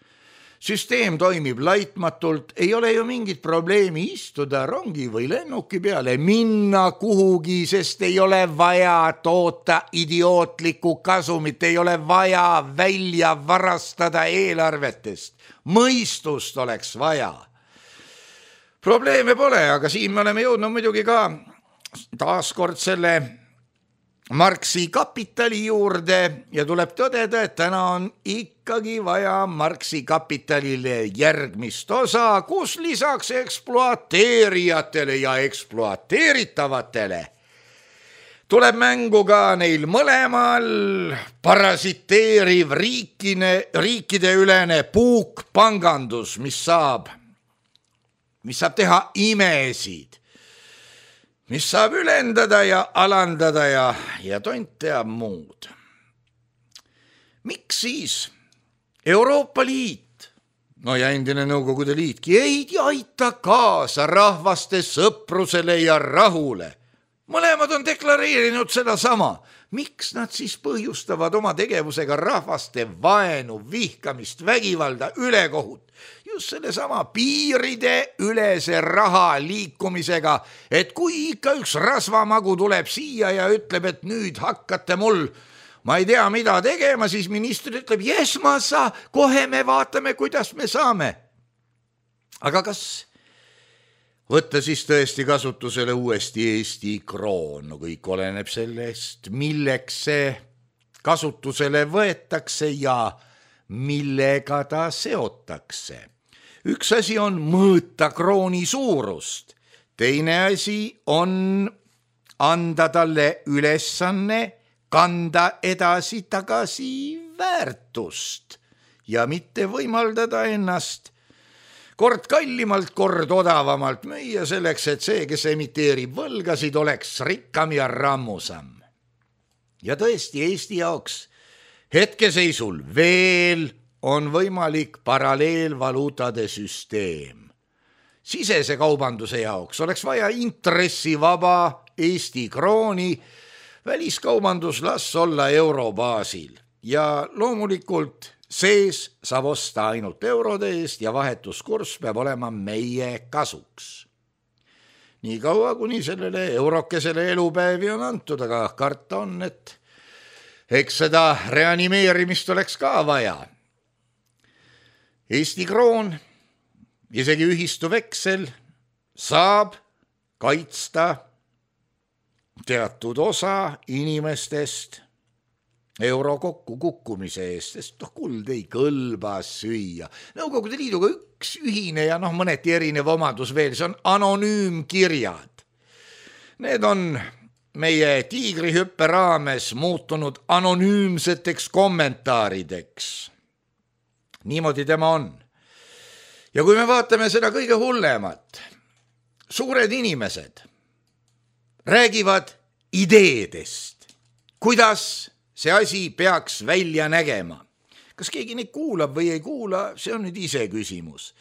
Süsteem toimib laitmatult, ei ole ju mingit probleemi istuda rongi või lennuki peale, minna kuhugi, sest ei ole vaja toota idiootlikku kasumit, ei ole vaja välja varastada eelarvetest. Mõistust oleks vaja. Probleeme pole, aga siin me oleme jõudnud muidugi ka taaskord selle Marxi kapitali juurde ja tuleb tõdeda, et täna on ikkagi vaja Marxi kapitalile järgmist osa, kus lisaks ekspluateerijatele ja ekspluateeritavatele tuleb mängu ka neil mõlemal parasiteeriv riikide ülene puukpangandus, mis saab teha imesid, mis saab ülendada ja alandada ja tont teab muud. Miks siis Euroopa Liit, ja endine Nõukogude Liitki, ei aita kaasa rahvaste sõprusele ja rahule? mõlemad on deklareerinud seda sama. Miks nad siis põhjustavad oma tegevusega rahvaste vaenu, vihkamist, vägivalda, ülekohut? Just selle sama piiride ülese raha liikumisega, et kui ikka üks rasvamagu tuleb siia ja ütleb, et nüüd hakkate mul, ma ei tea mida tegema, siis minister ütleb, jes ma saa, kohe me vaatame, kuidas me saame. Aga kas võtta siis tõesti kasutusele uuesti Eesti kroon? No kõik oleneb sellest, milleks see kasutusele võetakse ja millega ta seotakse. Üks asi on mõõta krooni suurust, teine asi on anda talle ülesanne kanda edasi tagasi väärtust ja mitte võimaldada ennast kord kallimalt, kord odavamalt müüa selleks, et see, kes emiteerib võlgasid, oleks rikkam ja rammusam. Ja tõesti, Eesti jaoks hetkeseisul veel on võimalik paralleelvaluutade süsteem. Sisese kaubanduse jaoks oleks vaja intressivaba Eesti krooni, väliskaubandus las olla eurobaasil ja loomulikult sees saab osta ainult eurode eest ja vahetuskurss peab olema meie kasuks. Nii kaua, kuni sellele eurokesele elupäevi on antud, aga karta on, et eks seda reanimeerimist oleks ka vaja. Eesti kroon, isegi ühistu veksel, saab kaitsta teatud osa inimestest euro kokku kukkumise eest, sest kuld ei kõlba süüa. Nõukogude Liiduga üks ühine ja mõneti erinev omadus veel, see on anonüümkirjad. Need on meie tiigrihüppe raames muutunud anonüümseteks kommentaarideks. Niimoodi tema on. Ja kui me vaatame seda kõige hullemat, suured inimesed räägivad ideedest, kuidas see asi peaks välja nägema. Kas keegi neid kuulab või ei kuula, see on nüüd ise küsimus.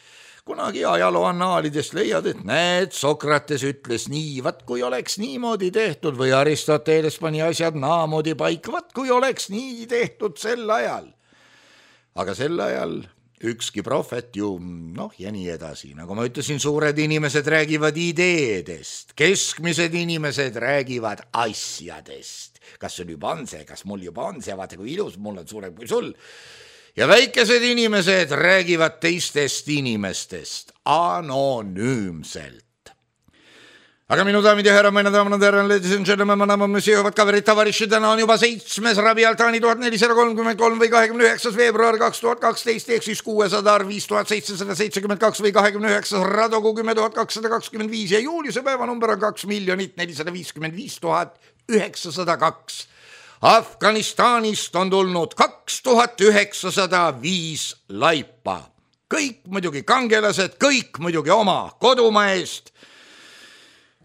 Kunagi ajaloo annaalidest leiad, et näed, Sokrates ütles nii, vat kui oleks niimoodi tehtud või Aristoteles pani asjad naamoodi paika, vat kui oleks nii tehtud sel ajal. Aga sel ajal ükski prohvet ju, ja nii edasi. Nagu ma ütlesin, suured inimesed räägivad ideedest, keskmised inimesed räägivad asjadest. Kas sul juba on see, kas mul juba on see, vaata kui ilus, mul on suurem kui sul. Ja väikesed inimesed räägivad teistest inimestest anonüümselt. Aga minu daamid ja härrad, ladies and gentlemen, monsieur, kaverid, tavariši, täna on juba 7. Rabi Altaani 1433 või 29. veebruar 2012 ehk siis 600 arv 5772 või 29. Radogu 10225 ja Juliuse päevanumber on 2 455 902. Afganistanist on tulnud 2905 laipa. Kõik muidugi kangelased, kõik muidugi oma kodumaa eest.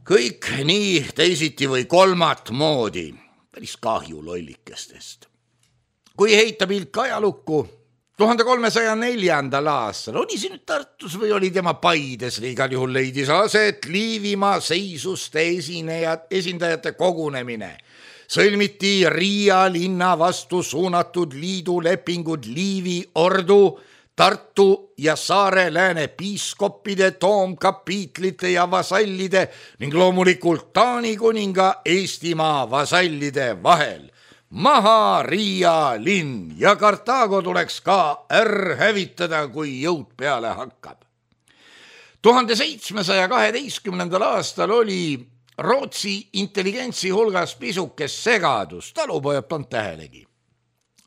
Kõik nii teisiti või kolmat moodi, päris kahju lollikestest. Kui heita pilk ajalukku, 1304. aastal oli siin Tartus või oli tema Paides, igal juhul leidis aset Liivimaa seisuste esindajate kogunemine. Sõlmiti Riia linna vastu suunatud liidu lepingud Liivi ordu, Tartu ja Saare lääne piiskoppide, toomkapiitlite ja vasallide ning loomulikult Taani kuninga Eestimaa vasallide vahel. Maha Riia linn ja Kartaago tuleks ka hävitada, kui jõud peale hakkab. 1712. aastal oli Rootsi intelligentsi hulgas pisukes segadus, talupojad polnud tähelegi.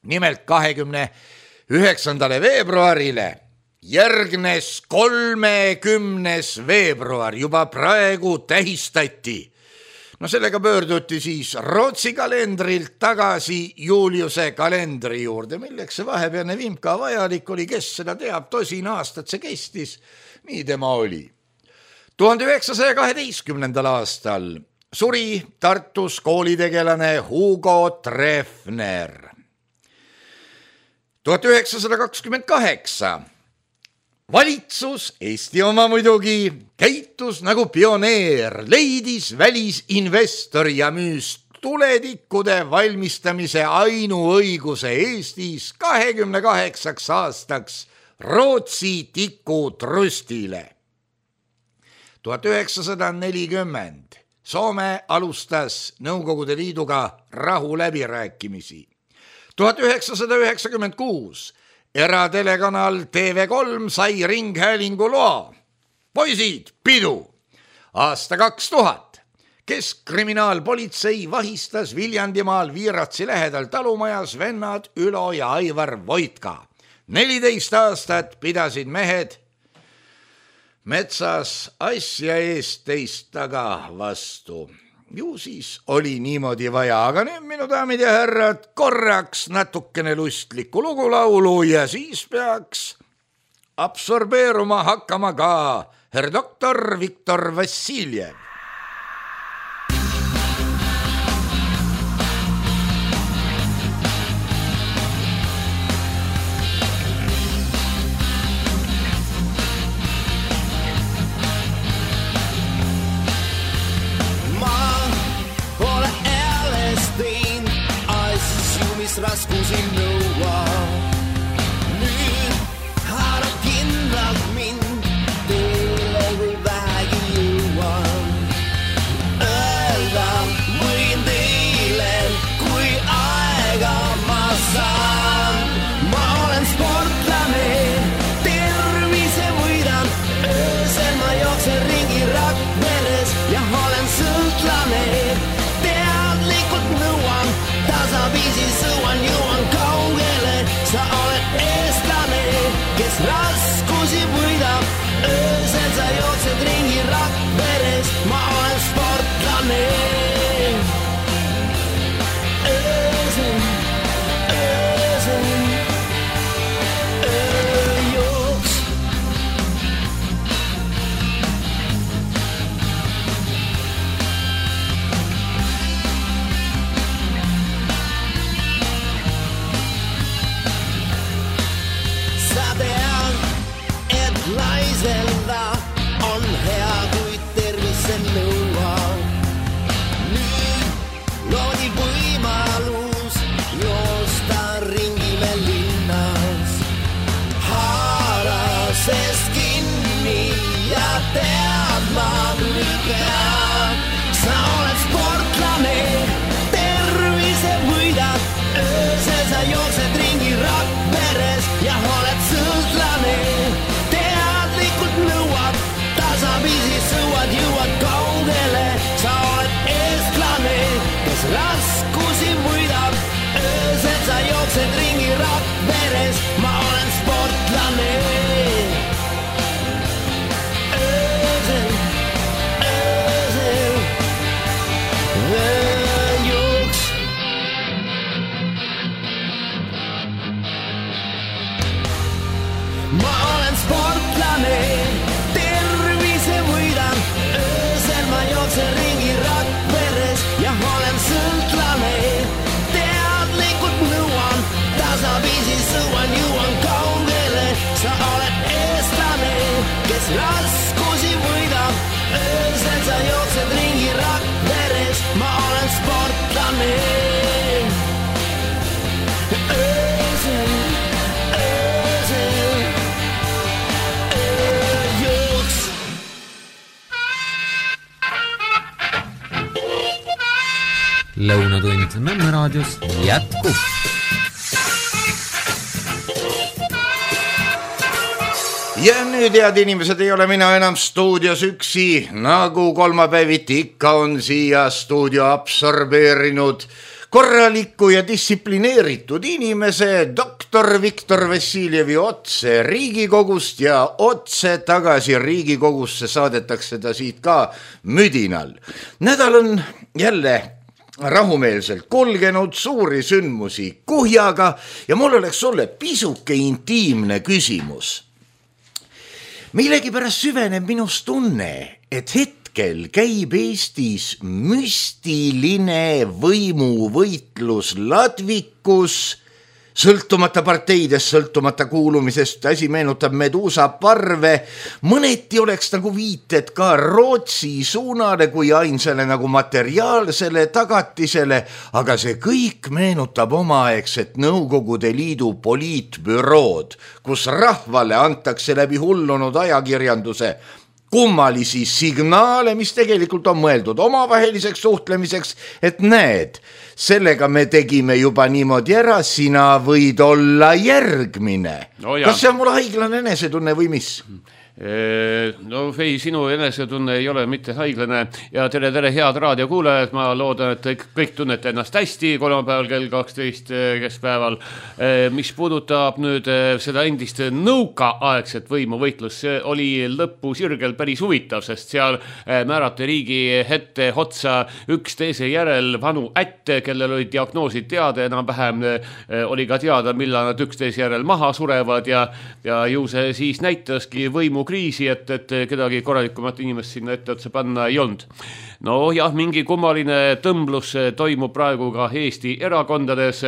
Nimelt 29. veebruarile järgnes 30. veebruar, juba praegu tähistati. Sellega pöörduti siis Rootsi kalendrilt tagasi Juliuse kalendri juurde, milleks see vahepealne vimka vajalik oli, kes seda teab, 10 aastat see kestis, nii tema oli. 1912. aastal suri Tartus koolitegelane Hugo Treffner. 1928 valitsus, Eesti oma muidugi, käitus nagu pioneer, leidis välisinvestori ja müüs tuletikkude valmistamise ainuõiguse Eestis 28 aastaks Rootsi tikutrustile. 1940 Soome alustas Nõukogude Liiduga rahuläbirääkimisi. 1996 eratelekanal TV3 sai ringhäälingu loa. Poisid, pidu! Aasta 2000 Keskkriminaalpolitsei vahistas Viljandimaal Viiratsi lähedal talumajas vennad Ülo ja Aivar Voitka. 14 aastat pidasid mehed metsas asja eest teist taga vastu. Ju siis oli niimoodi vaja, aga nüüd minu daamid ja härrad, korraks natukene lustlikku lugulaulu ja siis peaks absorbeeruma hakkama ka herr doktor Viktor Vassiljev. Raskusi nõua. Nüüd haarab kindlalt mind, teile kui vähegi jõuan. Öelda võin teile, kui aega ma saan. Ma olen sportlane, tervise võidan. Öösel ma jooksen ringi Rakveres ja olen sõltlane. Teadlikult nõuan, tasaviisi sõuan, jõuan kaugele. Sa oled eestlane, kes raskusi võidab. Öösel sa jooksed ringi Rakveres, ma olen sportlane. Öösel, ööjooks. Laiselda on hea, kui tervise nõuab. Nüüd loodi võimalus joosta ringi me linnas. Haara sest kinni ja tead ma nüüd peab. Sa oled sportlane, tervise võidad. Öösel sa jooksed ringi Rakveres ja oled sõltlane. Nõuad, tasaviisi sõuad, jõuad kaugele. Sa oled eestlane, kes raskusi võidab. Öösel sa jooksed ringi Rakveres, ma olen sportlane. Öösel, ööjooks. Ma olen sportlane, ringi Rakveres ja olen sõltlane. Teadlikult nõuan, tasaviisi sõuan, jõuan kaugele. Sa oled eestlane, kes raskusi võidab. Öösel sa jooksed ringi Rakveres, ma olen sportlane. Öösel, ööjooks. Lõunatund Nõmme raadios jätkub. Ja nüüd, head inimesed, ei ole mina enam stuudios üksi, nagu kolmapäeviti ikka on siia stuudio absorbeerinud korraliku ja distsiplineeritud inimese doktor Viktor Vassiljevi otse Riigikogust ja otse tagasi Riigikogusse saadetakse ta siit ka müdinal. Nädal on jälle rahumeelselt kulgenud, suuri sündmusi kuhjaga ja mul oleks sulle pisuke intiimne küsimus. Millegipärast süveneb minus tunne, et hetkel käib Eestis müstiline võimuvõitlus ladvikus sõltumata parteidest, sõltumata kuulumisest, asi meenutab Medusa parve, mõneti oleks nagu viited ka Rootsi suunale kui ainsale nagu materiaalsele tagatisele, aga see kõik meenutab omaaegset Nõukogude Liidu poliitbürood, kus rahvale antakse läbi hullunud ajakirjanduse kummalisi signaale, mis tegelikult on mõeldud omavaheliseks suhtlemiseks, et näed, sellega me tegime juba niimoodi ära, sina võid olla järgmine. No kas see on mul haiglane enesetunne või mis? No ei, sinu enesetunne ei ole mitte haiglane ja tere, head raadiokuulajad, ma loodan, et kõik tunnete ennast hästi kolmapäeval kell 12 keskpäeval. Mis puudutab nüüd seda endist nõukaaegset võimuvõitlust, see oli lõpusirgel päris huvitav, sest seal määrati riigi ette otsa üks teise järel vanu ätte, kellel olid diagnoosid teada, enam-vähem oli ka teada, millal nad üksteise järel maha surevad ja ju see siis näitaski võimu kriisi, et kedagi korralikumat inimest sinna ette otsa panna ei olnud. No jah, mingi kummaline tõmblus toimub praegu ka Eesti erakondades,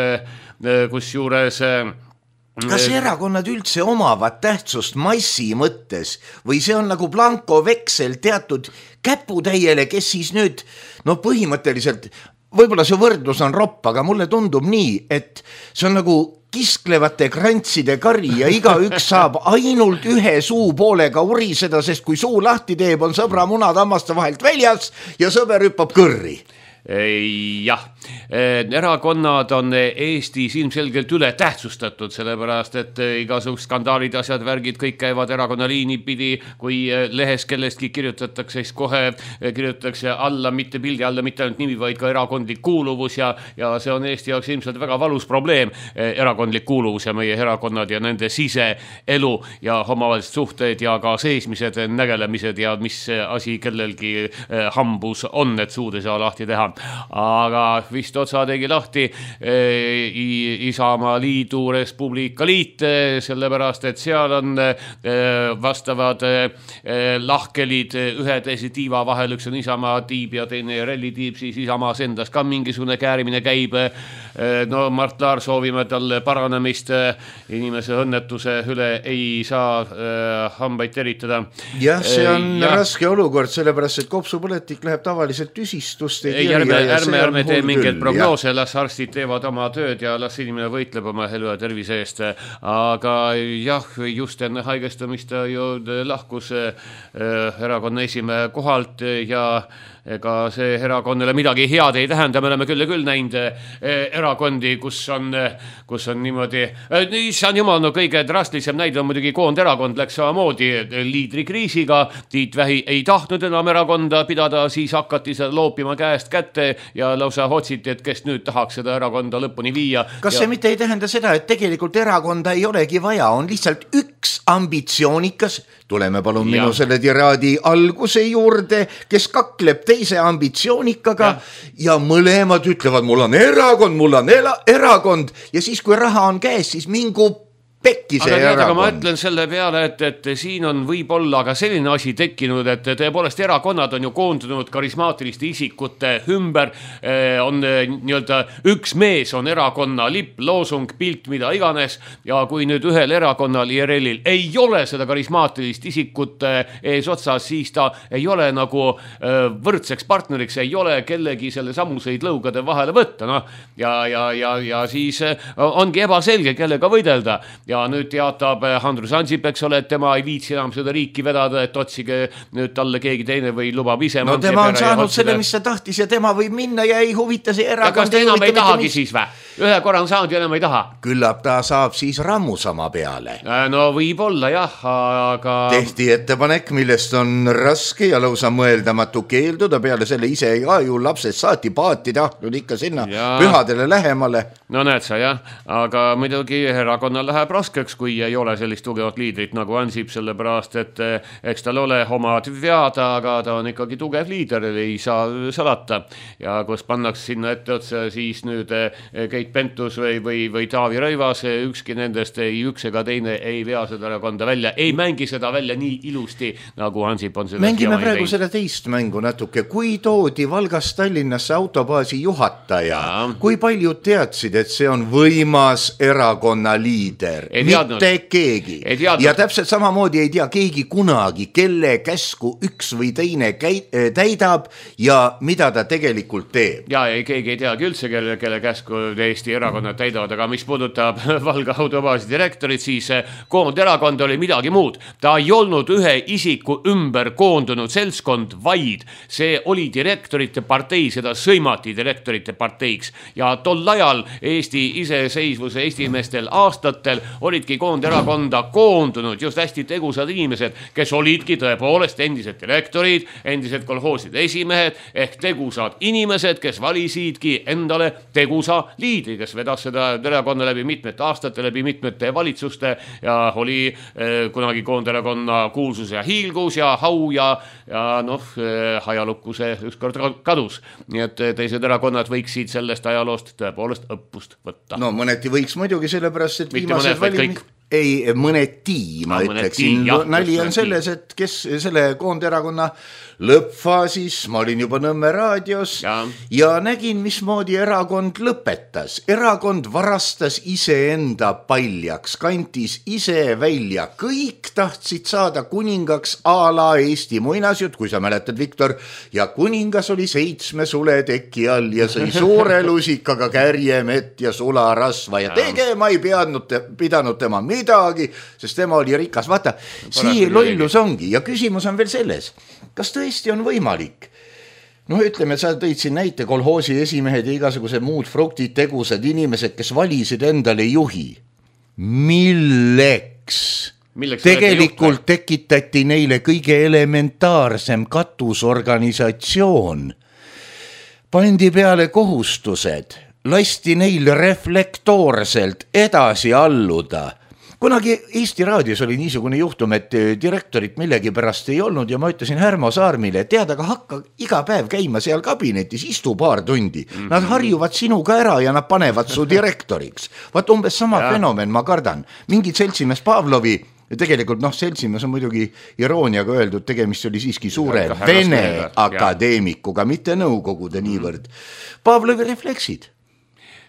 kus juures kas erakonnad üldse omavad tähtsust massi mõttes või see on nagu blankoveksel teatud käputäiele, kes siis nüüd, no põhimõtteliselt, võib-olla see võrdlus on ropp, aga mulle tundub nii, et see on nagu kisklevate krantside kari ja igaüks saab ainult ühe suupoolega uriseda, sest kui suu lahti teeb, on sõbra munad hammaste vahelt väljas ja sõber hüppab kõrri. Jah, erakonnad on Eestis ilmselgelt üle tähtsustatud, sellepärast, et igasugused skandaalid, asjad, värgid, kõik käivad erakonna liini pidi, kui lehes kellestki kirjutatakse, siis kohe kirjutatakse alla, mitte pildi alla, mitte ainult nimi, vaid ka erakondlik kuuluvus ja see on Eesti jaoks ilmselt väga valus probleem, erakondlik kuuluvus ja meie erakonnad ja nende siseelu ja omavahelised suhted ja ka seesmised nägelemised ja mis asi kellelgi hambus on, et suud ei saa lahti teha. Aga vist otsa tegi lahti Isamaa Liidu Respublika Liit, sellepärast, et seal on vastavad lahkelid ühe teise tiiva vahel, üks on Isamaa tiib ja teine Relli tiib, siis Isamaas endas ka mingisugune käärimine käib. No Mart Laar soovime talle paranemist, inimese õnnetuse üle ei saa hambaid teritada. Jah, see on raske olukord, sellepärast, et kopsupõletik läheb tavaliselt tüsistust ärme tee mingeid prognoose, las arstid teevad oma tööd ja las inimene võitleb oma elu ja tervise eest, aga jah, just enne haigestamist ju lahkus erakonna esimehe kohalt ja ega see erakonnale midagi head ei tähenda, me oleme küll näinud erakondi, kus on niimoodi, issand jumal, no kõige drastilisem näide on muidugi Koonderakond läks samamoodi liidrikriisiga, Tiit Vähi ei tahtnud enam erakonda pidada, siis hakati seda loopima käest kätte ja lausa otsiti, et kes nüüd tahaks seda erakonda lõpuni viia. Kas see mitte ei tähenda seda, et tegelikult erakonda ei olegi vaja, on lihtsalt üks ambitsioonikas, tuleme palun minu selle tiraadi alguse juurde, kes kakleb teise ambitsioonikaga ja mõlemad ütlevad, mul on erakond ja siis kui raha on käes, siis mingu pekki see erakond. Aga ma ütlen selle peale, et siin on võib-olla ka selline asi tekkinud, et tõepoolest erakonnad on ju koondunud karismaatiliste isikute ümber, on nii-öelda üks mees on erakonna lipp, loosung, pilt, mida iganes ja kui nüüd ühel erakonnal IRL-il ei ole seda karismaatilist isikut ees otsas, siis ta ei ole nagu võrdseks partneriks, ei ole kellegi selle samuseid lõugade vahele võtta, no ja siis ongi ebaselge, kellega võidelda. Ja nüüd teatab Andrus Ansip, eks ole, et tema ei viitsi enam seda riiki vedada, et otsige nüüd talle keegi teine või lubab ise. No tema on saanud selle, mis ta tahtis ja tema võib minna ja ei huvita see erakond. Ja kas ta enam ei tahagi siis vä? Ühe korra on saanud ja enam ei taha. Küllap ta saab siis rammusama peale. No võib-olla jah, aga... Tehti ettepanek, millest on raske ja lausa mõeldamatu keelduda, peale selle ise ka ju lapsed saati paati tahtnud ikka sinna pühadele lähemale. No näed sa jah, aga muidugi erakonnal läheb raskeks, kui ei ole sellist tugevat liidrit nagu Ansip, sellepärast, et eks tal ole omad vead, aga ta on ikkagi tugev liider, ei saa salata. Ja kus pannakse sinna ette otsa, siis nüüd Keit Pentus või Taavi Rõivas, ükski nendest üks ega teine ei vea seda erakonda välja, ei mängi seda välja nii ilusti, nagu Ansip on seda mängime praegu seda teist mängu natuke. Kui toodi Valgast Tallinnasse autobaasi juhataja, kui paljud teadsid, et see on võimas erakonna liider? Mitte keegi. Ja täpselt samamoodi ei tea keegi kunagi, kelle käsku üks või teine täidab ja mida ta tegelikult teeb. Ja keegi ei teagi üldse, kelle käsku Eesti erakonnad täidavad, aga mis puudutab Valga autobaasi direktorit, siis koonderakond oli midagi muud. Ta ei olnud ühe isiku ümber koondunud seltskond, vaid see oli direktorite partei, seda sõimati direktorite parteiks. Ja tol ajal Eesti iseseisvuse esimestel aastatel olidki koonderakonda koondunud just hästi tegusad inimesed, kes olidki tõepoolest endised direktorid, endised kolhooside esimehed ehk tegusad inimesed, kes valisidki endale tegusa liidri, kes vedas seda erakonna läbi mitmete aastate, läbi mitmete valitsuste ja oli kunagi koonderakonna kuulsus ja hiilgus ja hau ja ajalukku see ükskord kadus. Nii et teised erakonnad võiksid sellest ajaloost tõepoolest õppust võtta. No mõneti võiks muidugi, sellepärast, et viimased valimid... Ei, mõneti, ma ütleksin. Nali on selles, et kes selle koonderakonna lõppfaasis, ma olin juba Nõmme raadios ja nägin, mismoodi erakond lõpetas. Erakond varastas iseenda paljaks, kantis ise välja. Kõik tahtsid saada kuningaks a la Eesti muinasjutt, kui sa mäletad, Viktor, ja kuningas oli 7 suleteki all ja sõi suure lusikaga kärjemett ja sularasva ja tegema ei pidanud tema midagi, sest tema oli rikas. Vaata, see lollus ongi ja küsimus on veel selles, kas tõesti on võimalik? No ütleme, sa tõid siin näite kolhoosi esimehed ja igasuguse muud fruktid, tegusad inimesed, kes valisid endale juhi. Milleks? Tegelikult tekitati neile kõige elementaarsem katusorganisatsioon. Pandi peale kohustused, lasti neil reflektoorselt edasi alluda. Kunagi Eesti raadios oli niisugune juhtum, et direktorit millegi pärast ei olnud ja ma ütlesin Härmo Saarmile, et tead, aga hakka iga päev käima seal kabinetis, istu paar tundi. Nad harjuvad sinuga ära ja nad panevad su direktoriks. Vaat umbes sama fenomen, ma kardan. Mingid seltsimees Pavlovi, tegelikult seltsimees on muidugi irooniaga öeldud, tegemist oli siiski suure Vene akadeemikuga, mitte nõukogude niivõrd. Pavlovi refleksid.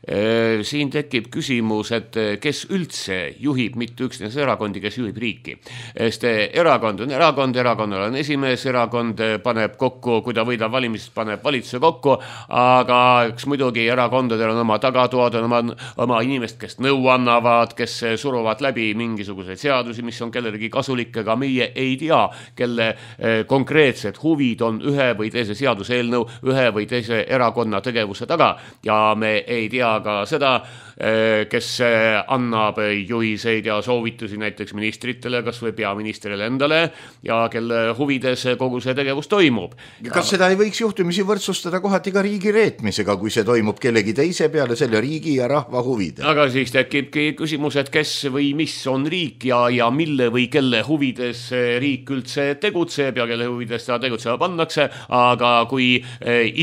Siin tekib küsimus, et kes üldse juhib mitte üksnes erakondi, kes juhib riiki. Sest erakond on erakond, erakonnal on esimees, erakond paneb kokku, kui ta võidab valimist, paneb valitsuse kokku, aga eks muidugi erakondadel on oma tagatoad, on oma inimest, kes nõu annavad, kes suruvad läbi mingisuguseid seadusi, mis on kellelegi kasulik, aga meie ei tea, kelle konkreetsed huvid on ühe või teise seaduseelnõu, ühe või teise erakonna tegevuse taga ja me ei tea ka seda, kes annab juhiseid ja soovitusi näiteks ministritele, kas või peaministrile endale ja kelle huvides kogu see tegevus toimub. Kas seda ei võiks juhtumisi võrdsustada kohati ka riigi reetmisega, kui see toimub kellegi teise peale selle riigi ja rahva huvide? Aga siis tekibki küsimus, et kes või mis on riik ja mille või kelle huvides riik üldse tegutseb ja kelle huvides ta tegutsema pannakse, aga kui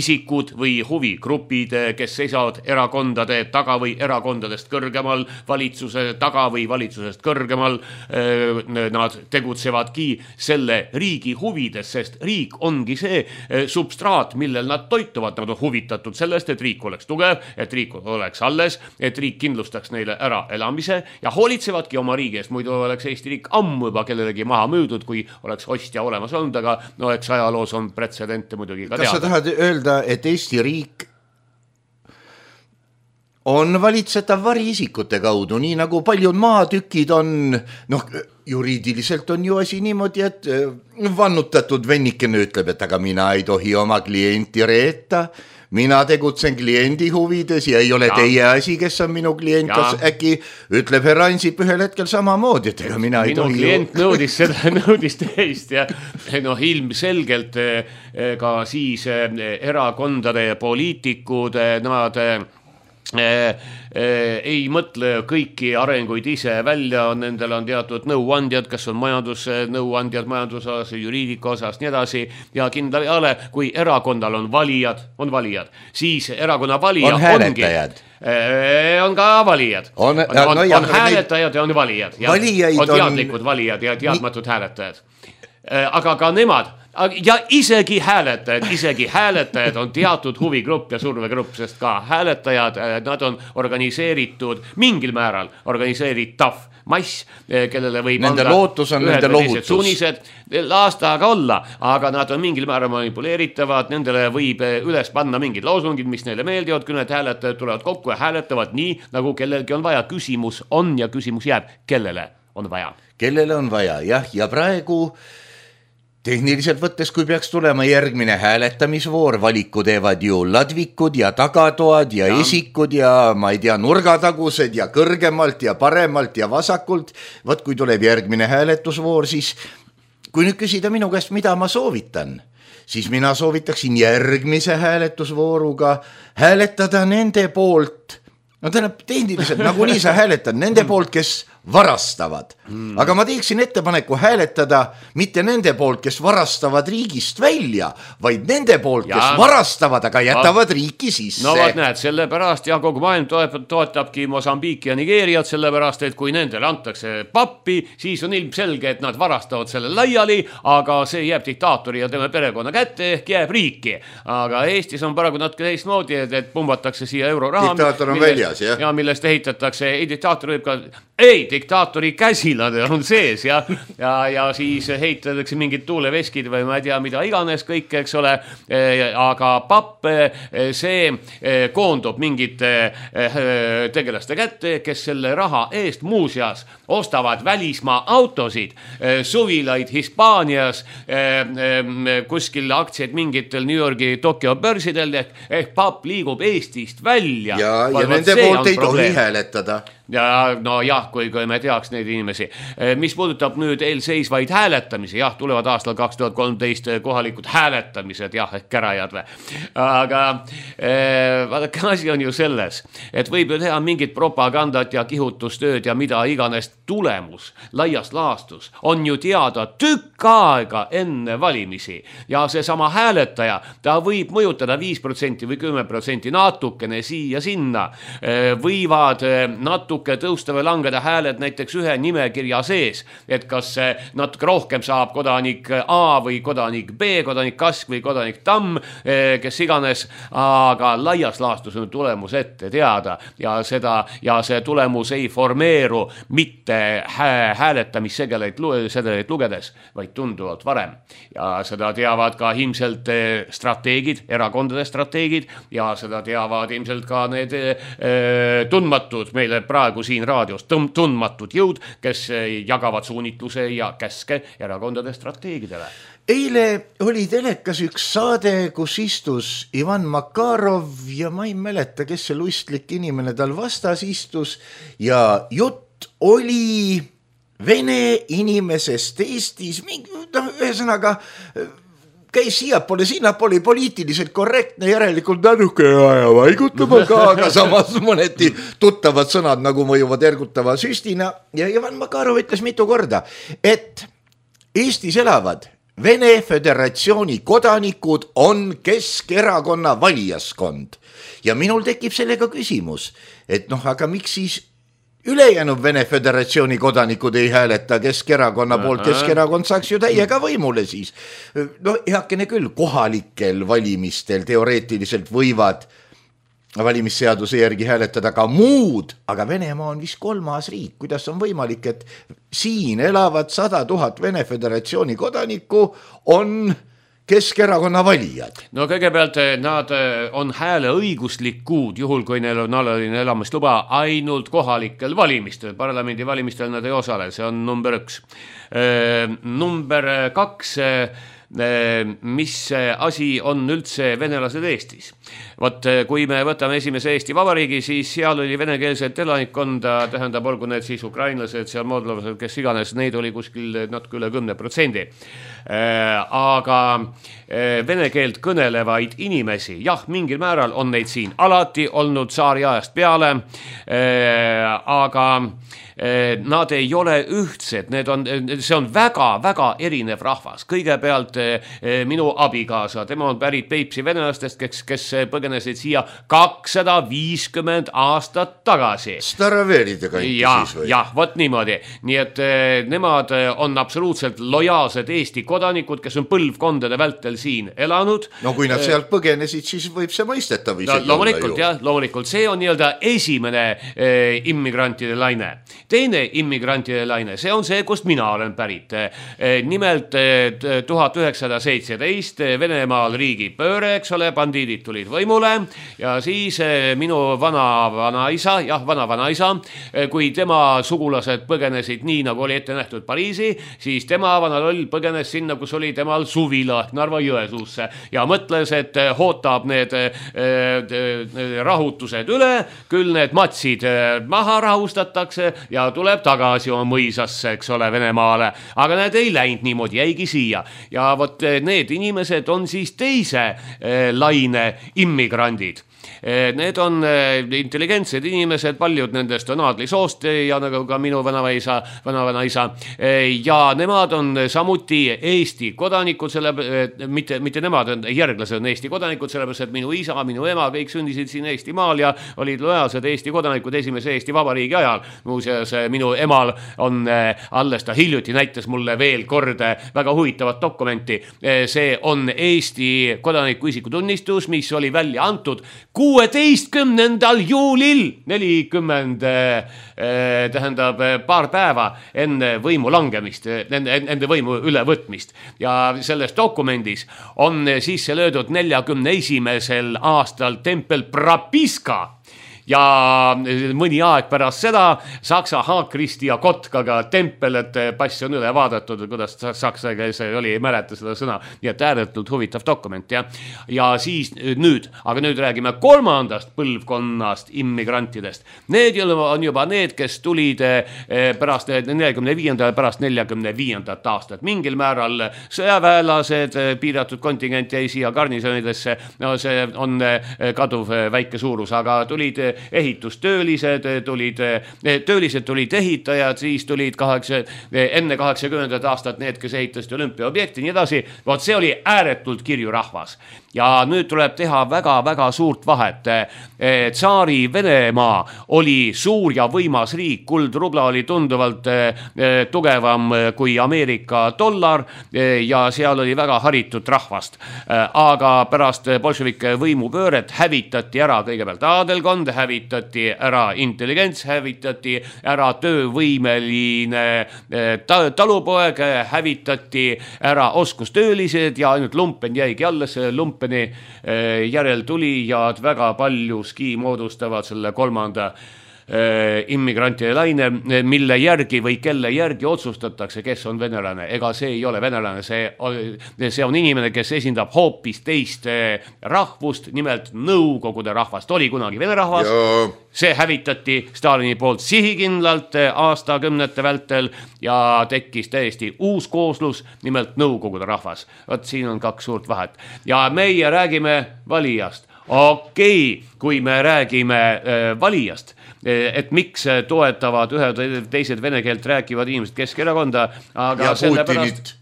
isikud või huvigrupid, kes seisavad erakondade taga või erakondadest kõrgemal, valitsuse taga või valitsusest kõrgemal, nad tegutsevadki selle riigi huvides, sest riik ongi see substraat, millel nad toituvad. Nad on huvitatud sellest, et riik oleks tugev, et riik oleks alles, et riik kindlustaks neile ära elamise ja hoolitsevadki oma riigi eest. Muidu oleks Eesti riik ammu juba kellelegi maha müüdud, kui oleks ostja olemas olnud, aga eks ajaloos on pretsedente muidugi ka teada. Kas sa tahad öelda, et Eesti riik on valitsetav variisikute kaudu, nii nagu paljud maatükid on, juriidiliselt on ju asi niimoodi, et vannutatud vennikene ütleb, et aga mina ei tohi oma klienti reeta, mina tegutsen kliendi huvides ja ei ole teie asi, kes on minu klient, kas äkki ütleb härra Ansip ühel hetkel samamoodi, et ega mina ei tohi... Minu klient nõudis seda, nõudis teist ja ilmselgelt ka siis erakondade poliitikud, nad ei mõtle kõiki arenguid ise välja, nendel on teatud nõuandjad, kes on majandusnõuandjad majandusosas, juriidika osas, nii edasi, ja kindla peale, kui erakonnal on valijad, siis erakonna valija on hääletajad. On ka valijad. On hääletajad ja on valijad. On teadlikud valijad ja teadmatud hääletajad. Aga ka nemad ja isegi hääletajad on teatud huvigrupp ja survegrupp, sest ka hääletajad, nad on organiseeritud mingil määral, organiseeritav mass, kellele võib nende lootus on nende lohutus. Suunised aastaga olla, aga nad on mingil määral manipuleeritavad, nendele võib üles panna mingid loosungid, mis neile meeldivad, kui need hääletajad tulevad kokku ja hääletavad nii, nagu kellelgi on vaja. Küsimus on ja küsimus jääb, kellele on vaja. Kellele on vaja, jah, ja praegu tehniliselt võttes, kui peaks tulema järgmine hääletamisvoor, valiku teevad ju ladvikud ja tagatoad ja esikud ja ma ei tea, nurgatagused ja kõrgemalt ja paremalt ja vasakult. Võt, kui tuleb järgmine hääletusvoor, siis kui nüüd küsida minu käest, mida ma soovitan, siis mina soovitaksin järgmise hääletusvooruga hääletada nende poolt, no tähendab tehniliselt, nagu nii sa hääletad, nende poolt, kes varastavad. Aga ma teeksin ettepaneku hääletada mitte nende poolt, kes varastavad riigist välja, vaid nende poolt, kes varastavad, aga jätavad riiki sisse. No vaat näed, sellepärast ja kogu maailm toetabki Mosambiiki ja Nigeeriat, sellepärast, et kui nendele antakse pappi, siis on ilmselge, et nad varastavad selle laiali, aga see jääb diktaatori ja tema perekonna kätte ehk jääb riiki. Aga Eestis on paraku natuke teistmoodi, et pumbatakse siia euroraha. Diktaator on väljas, jah. Ja millest ehitatakse, diktaator võib ka, diktaatori käsilad on sees ja siis heitatakse mingid tuuleveskid või ma ei tea, mida iganes kõik, eks ole, aga papp, see koondub mingite tegelaste kätte, kes selle raha eest muuseas ostavad välismaa autosid, suvilaid Hispaanias, kuskil aktsiaid mingitel New Yorgi Tokyo börsidel, ehk papp liigub Eestist välja. Ja nende poolt ei tohi hääletada. Ja no jah, kui me teaks neid inimesi. Mis puudutab nüüd eelseisvaid hääletamisi, jah, tulevad aastal 2013 kohalikud hääletamised, jah, ehk kärajad või. Aga vaadake, asi on ju selles, et võib ju teha mingit propagandat ja kihutustööd ja mida iganes tulemus, laias laastus, on ju teada tükk aega enne valimisi. Ja see sama hääletaja, ta võib mõjutada 5% või 10% natukene siia sinna, võivad natuke tõusta või langeda hääled näiteks ühe nimekirja sees, et kas natuke rohkem saab kodanik A või kodanik B, kodanik Kask või kodanik Tamm, kes iganes, aga laias laastus on tulemus ette teada ja see tulemus ei formeeru mitte hääletamissedeleid lugedes, vaid tunduvalt varem. Ja seda teavad ka ilmselt strateegid, erakondade strateegid ja seda teavad ilmselt ka need tundmatud meile praegu siin raadios tundmatud jõud, kes jagavad suunitluse ja käske erakondade strateegidele. Eile oli telekas üks saade, kus istus Ivan Makarov ja ma ei mäleta, kes see lustlik inimene tal vastas istus ja jutt oli vene inimesest Eestis, ühesõnaga käis siiapoole, sinnapoole poliitiliselt korrektne, järelikult nanuke aja vaigutama ka, aga samas mõneti tuttavad sõnad nagu mõjuvad ergutava süstina ja Ivan Makarov ütles mitu korda, et Eestis elavad Vene Föderatsiooni kodanikud on Keskerakonna valijaskond ja minul tekib sellega küsimus, et aga miks siis ülejäänud Vene Föderatsiooni kodanikud ei hääleta Keskerakonna poolt, Keskerakond saaks ju täiega võimule siis. No heakene küll, kohalikel valimistel teoreetiliselt võivad valimisseaduse järgi hääletada ka muud, aga Venemaa on vist 3. riik, kuidas on võimalik, et siin elavad 100 000 Vene Föderatsiooni kodanikku on Keskerakonna valijad. No kõigepealt nad on hääleõiguslikud, juhul kui neil on alaline elamisluba ainult kohalikel valimistel, parlamendi valimistel nad ei osale, see on number 1. Number 2, mis asi on üldse venelased Eestis. Vot kui me võtame esimese Eesti Vabariigi, siis seal oli venekeelset elanikkonda, tähendab, olgu need siis ukrainlased, seal moodlavased, kes iganes, neid oli kuskil natuke üle 10%. Aga vene keelt kõnelevaid inimesi, jah, mingil määral on neid siin alati olnud tsaariajast peale, aga nad ei ole ühtsed, see on väga-väga erinev rahvas. Kõigepealt minu abikaasa, tema on pärit Peipsi venelastest, kes põgenesid siia 250 aastat tagasi. Staraveride kanti siis või? Jah, vot niimoodi. Nii et nemad on absoluutselt lojaalsed Eesti kodanikud, kes on põlvkondade vältel siin elanud. No kui nad sealt põgenesid, siis võib see mõistetav isegi loomulikult, olla ju. Loomulikult, see on nii-öelda esimene immigrantide laine. Teine immigrantide laine, see on see, kust mina olen pärit. Nimelt 1917 Venemaal riigipööre, eks ole, bandiidid tulid võimule ja siis minu vana-vanaisa, kui tema sugulased põgenesid nii, nagu oli ette nähtud Pariisi, siis tema vanaloll põgenes sinna, kus oli temal suvila Narva Jõesuusse ja mõtles, et hootab need rahutused üle, küll need matsid maha rahustatakse ja tuleb tagasi oma mõisasse, eks ole, Venemaale. Aga need ei läinud niimoodi, jäigi siia. Ja vot need inimesed on siis teise laine immigrandid. Need on intelligentsed inimesed, paljud nendest on aadlisoost ja nagu ka minu vanavaisa ja nemad on samuti Eesti kodanikud, mitte nemad, järglased on Eesti kodanikud, sellepärast, et minu isa, minu ema, kõik sündisid siin Eesti maal ja olid lojaalsed Eesti kodanikud esimese Eesti Vabariigi ajal. Muuseas, minu emal on alles ta hiljuti näitas mulle veel kord väga huvitavat dokumenti. See on Eesti kodaniku isikutunnistus, mis oli välja antud 16. juulil 40, tähendab paar päeva enne võimu langemist, enne võimu ülevõtmist. Ja selles dokumendis on sisse löödud 41. aastal tempel Prapiska. Ja mõni aeg pärast seda Saksa Haakristi ja Kotkaga tempel, et pass on üle vaadatud, kuidas saksa keeles oli, ei mäleta seda sõna, nii et ääretult huvitav dokument. Ja siis nüüd räägime kolmandast põlvkonnast immigrantidest. Need on juba need, kes tulid pärast 45. pärast 45. aastat. Mingil määral sõjaväelased, piiratud kontingent jäi siia garnisonidesse, no see on kaduv väike suurus, aga tulid ehitustöölised, tulid ehitajad, siis tulid enne 80. aastat need, kes ehitasid olümpiaobjekti, nii edasi. Vot see oli ääretult kirju rahvas. Ja nüüd tuleb teha väga-väga suurt vahet. Tsaari Venemaa oli suur ja võimas riik, kuldrubla oli tunduvalt tugevam kui Ameerika dollar ja seal oli väga haritud rahvast. Aga pärast bolševike võimupööret hävitati ära kõigepealt aadelkond, hävitati ära intelligents, hävitati ära töövõimeline talupoeg, hävitati ära oskustöölised ja ainult lumpen jäigi alles. Lumpeni järel tuli ja väga paljuski moodustavad selle kolmanda immigrantide laine, mille järgi või kelle järgi otsustatakse, kes on venelane. Ega see ei ole venelane, see on inimene, kes esindab hoopis teist rahvust, nimelt Nõukogude rahvast. Oli kunagi vene rahvas, see hävitati Stalini poolt sihikindlalt aastakümnete vältel ja tekkis täiesti uus kooslus, nimelt Nõukogude rahvas. Vot siin on kaks suurt vahet. Ja meie räägime valijast. Okei, kui me räägime valijast, et miks toetavad ühed teised vene keelt rääkivad inimesed Keskerakonda, aga ja Putinit.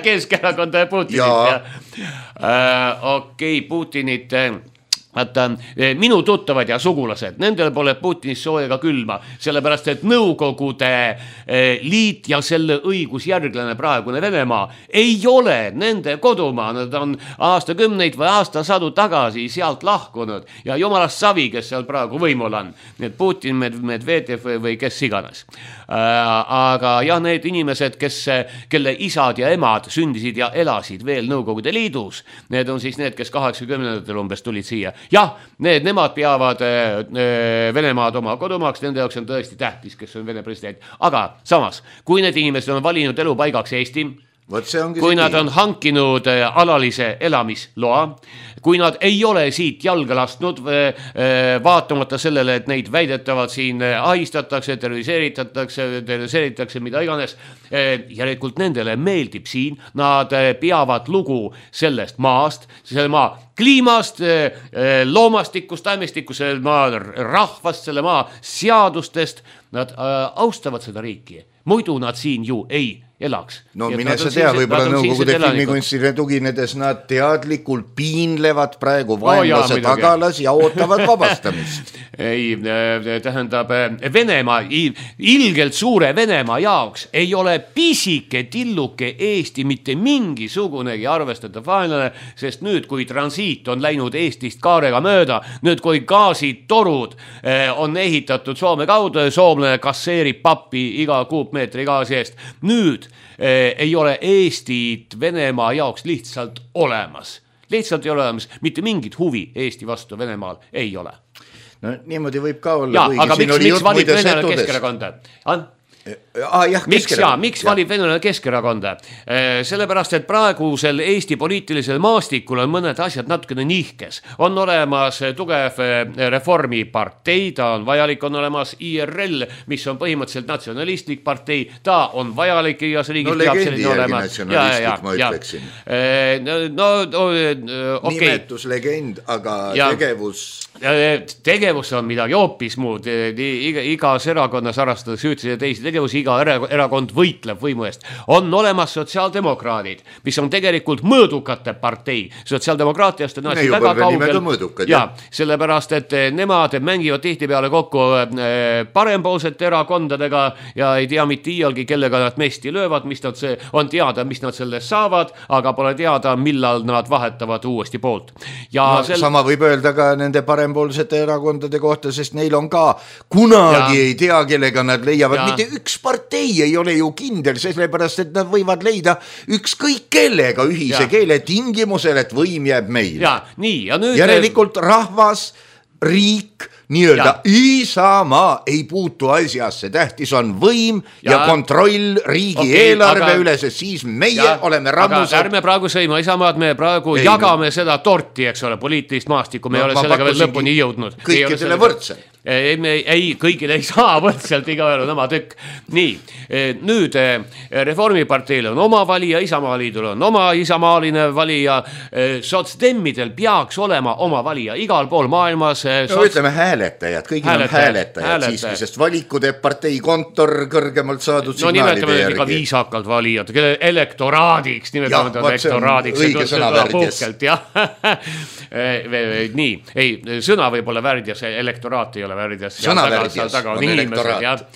Keskerakonda ja Putinit. Okei, Putinit. Vaata, minu tuttavad ja sugulased, nendel pole Putinist sooja ega külma, sellepärast, et Nõukogude liit ja selle õigusjärglane praegune Venemaa ei ole nende kodumaa. Nad on aastakümneid või aastasadu tagasi sealt lahkunud ja jumalast savi, kes seal praegu võimul on. Need Putin, Medvedev või kes iganes. Aga jah, need inimesed, kelle isad ja emad sündisid ja elasid veel Nõukogude liidus, need on siis need, kes 80-ndatel umbes tulid siia. Jah, nemad peavad Venemaad oma kodumaaks, nende jaoks on tõesti tähtis, kes on Vene president. Aga samas, kui need inimesed on valinud elupaigaks Eesti, kui nad on hankinud alalise elamisloa, kui nad ei ole siit jalga lastnud, vaatamata sellele, et neid väidetavad siin ahistatakse, terroriseeritakse, mida iganes, järelikult nendele meeldib siin, nad peavad lugu sellest maast, selle maa kliimast, loomastikust, taimestikust, selle maa rahvast, selle maa seadustest, nad austavad seda riiki, muidu nad siin ju ei elaks. No mine sa tea, võibolla Nõukogude filmikunstile tuginedes nad teadlikult piinlevad praegu vaenlase tagalas ja ootavad vabastamist. Ei, tähendab, Venemaa, ilgelt suure Venemaa jaoks ei ole pisike tilluke Eesti mitte mingisugunegi arvestatav vaenlane, sest nüüd, kui transiit on läinud Eestist kaarega mööda, nüüd, kui gaasitorud on ehitatud Soome kaudu, soomlane kasseerib pappi iga kuupmeetri gaasi eest, nüüd ei ole Eestit Venemaa jaoks lihtsalt olemas. Lihtsalt ei ole olemas, mitte mingit huvi Eesti vastu Venemaal ei ole. No niimoodi võib ka olla. Ja, aga miks valib Venemaal Keskerakonda? Miks valib Venemaal Keskerakonda? Sellepärast, et praegusel Eesti poliitilisel maastikul on mõned asjad natukene nihkes. On olemas tugev reformipartei, ta on vajalik, on olemas IRL, mis on põhimõtteliselt natsionalistlik partei, ta on vajalik igas riigis. No legendi järgi natsionalistlik, ma ütleksin. Nimetuslegend, aga tegevus on midagi hoopis muud. Igas erakonnas arvestades üütse teisi tegevusi, iga erakond võitleb võimu eest. On olemas sotsiaaldemokraadid, mis on tegelikult mõõdukate partei. Sotsiaaldemokraatiast on asi väga kaugel. Ja, sellepärast, et nemad mängivad tihtipeale kokku parempoolsete erakondadega ja ei tea mitte iialgi, kellega nad mesti löövad, mis nad on teada, mis nad sellest saavad, aga pole teada, millal nad vahetavad uuesti poolt. Ja sama võib öelda ka nende parempoolsete erakondade kohta, sest neil on ka kunagi ei tea, kellega nad leiavad. Mitte üks partei ei ole ju kindel, sellepärast, et nad võivad leida ükskõik kellega ühise keele tingimusel, et võim jääb meile. Ja, nii, ja nüüd järelikult rahvas, riik, nii-öelda Isamaa ei puutu asjasse, tähtis on võim ja kontroll riigi eelarve üle, sest siis meie oleme rammused. Aga ärme praegu sõima Isamaad, me praegu jagame seda torti, eks ole, poliitilist maastikku, me ei ole sellega veel lõpuni jõudnud. Kõikidele võrdselt. Ei, kõigile ei saa võrdselt, igaühel on oma tükk. Nii, nüüd Reformiparteil on oma valija, Isamaaliidul on oma isamaaline valija, sotsdemmidel peaks olema oma valija igal pool maailmas. No ütleme hääletajad, kõigil on hääletajad siiski, sest valiku teeb partei kontor kõrgemalt saadud signaalide järgi. No nimetame ka viisakalt valijad, kelle elektoraadiks, nimetame elektoraadiks. Õige sõna värdjas. Nii, ei, sõna võib olla värdjas, elektoraat ei ole värdjas. Sõna värdjas on elektoraat.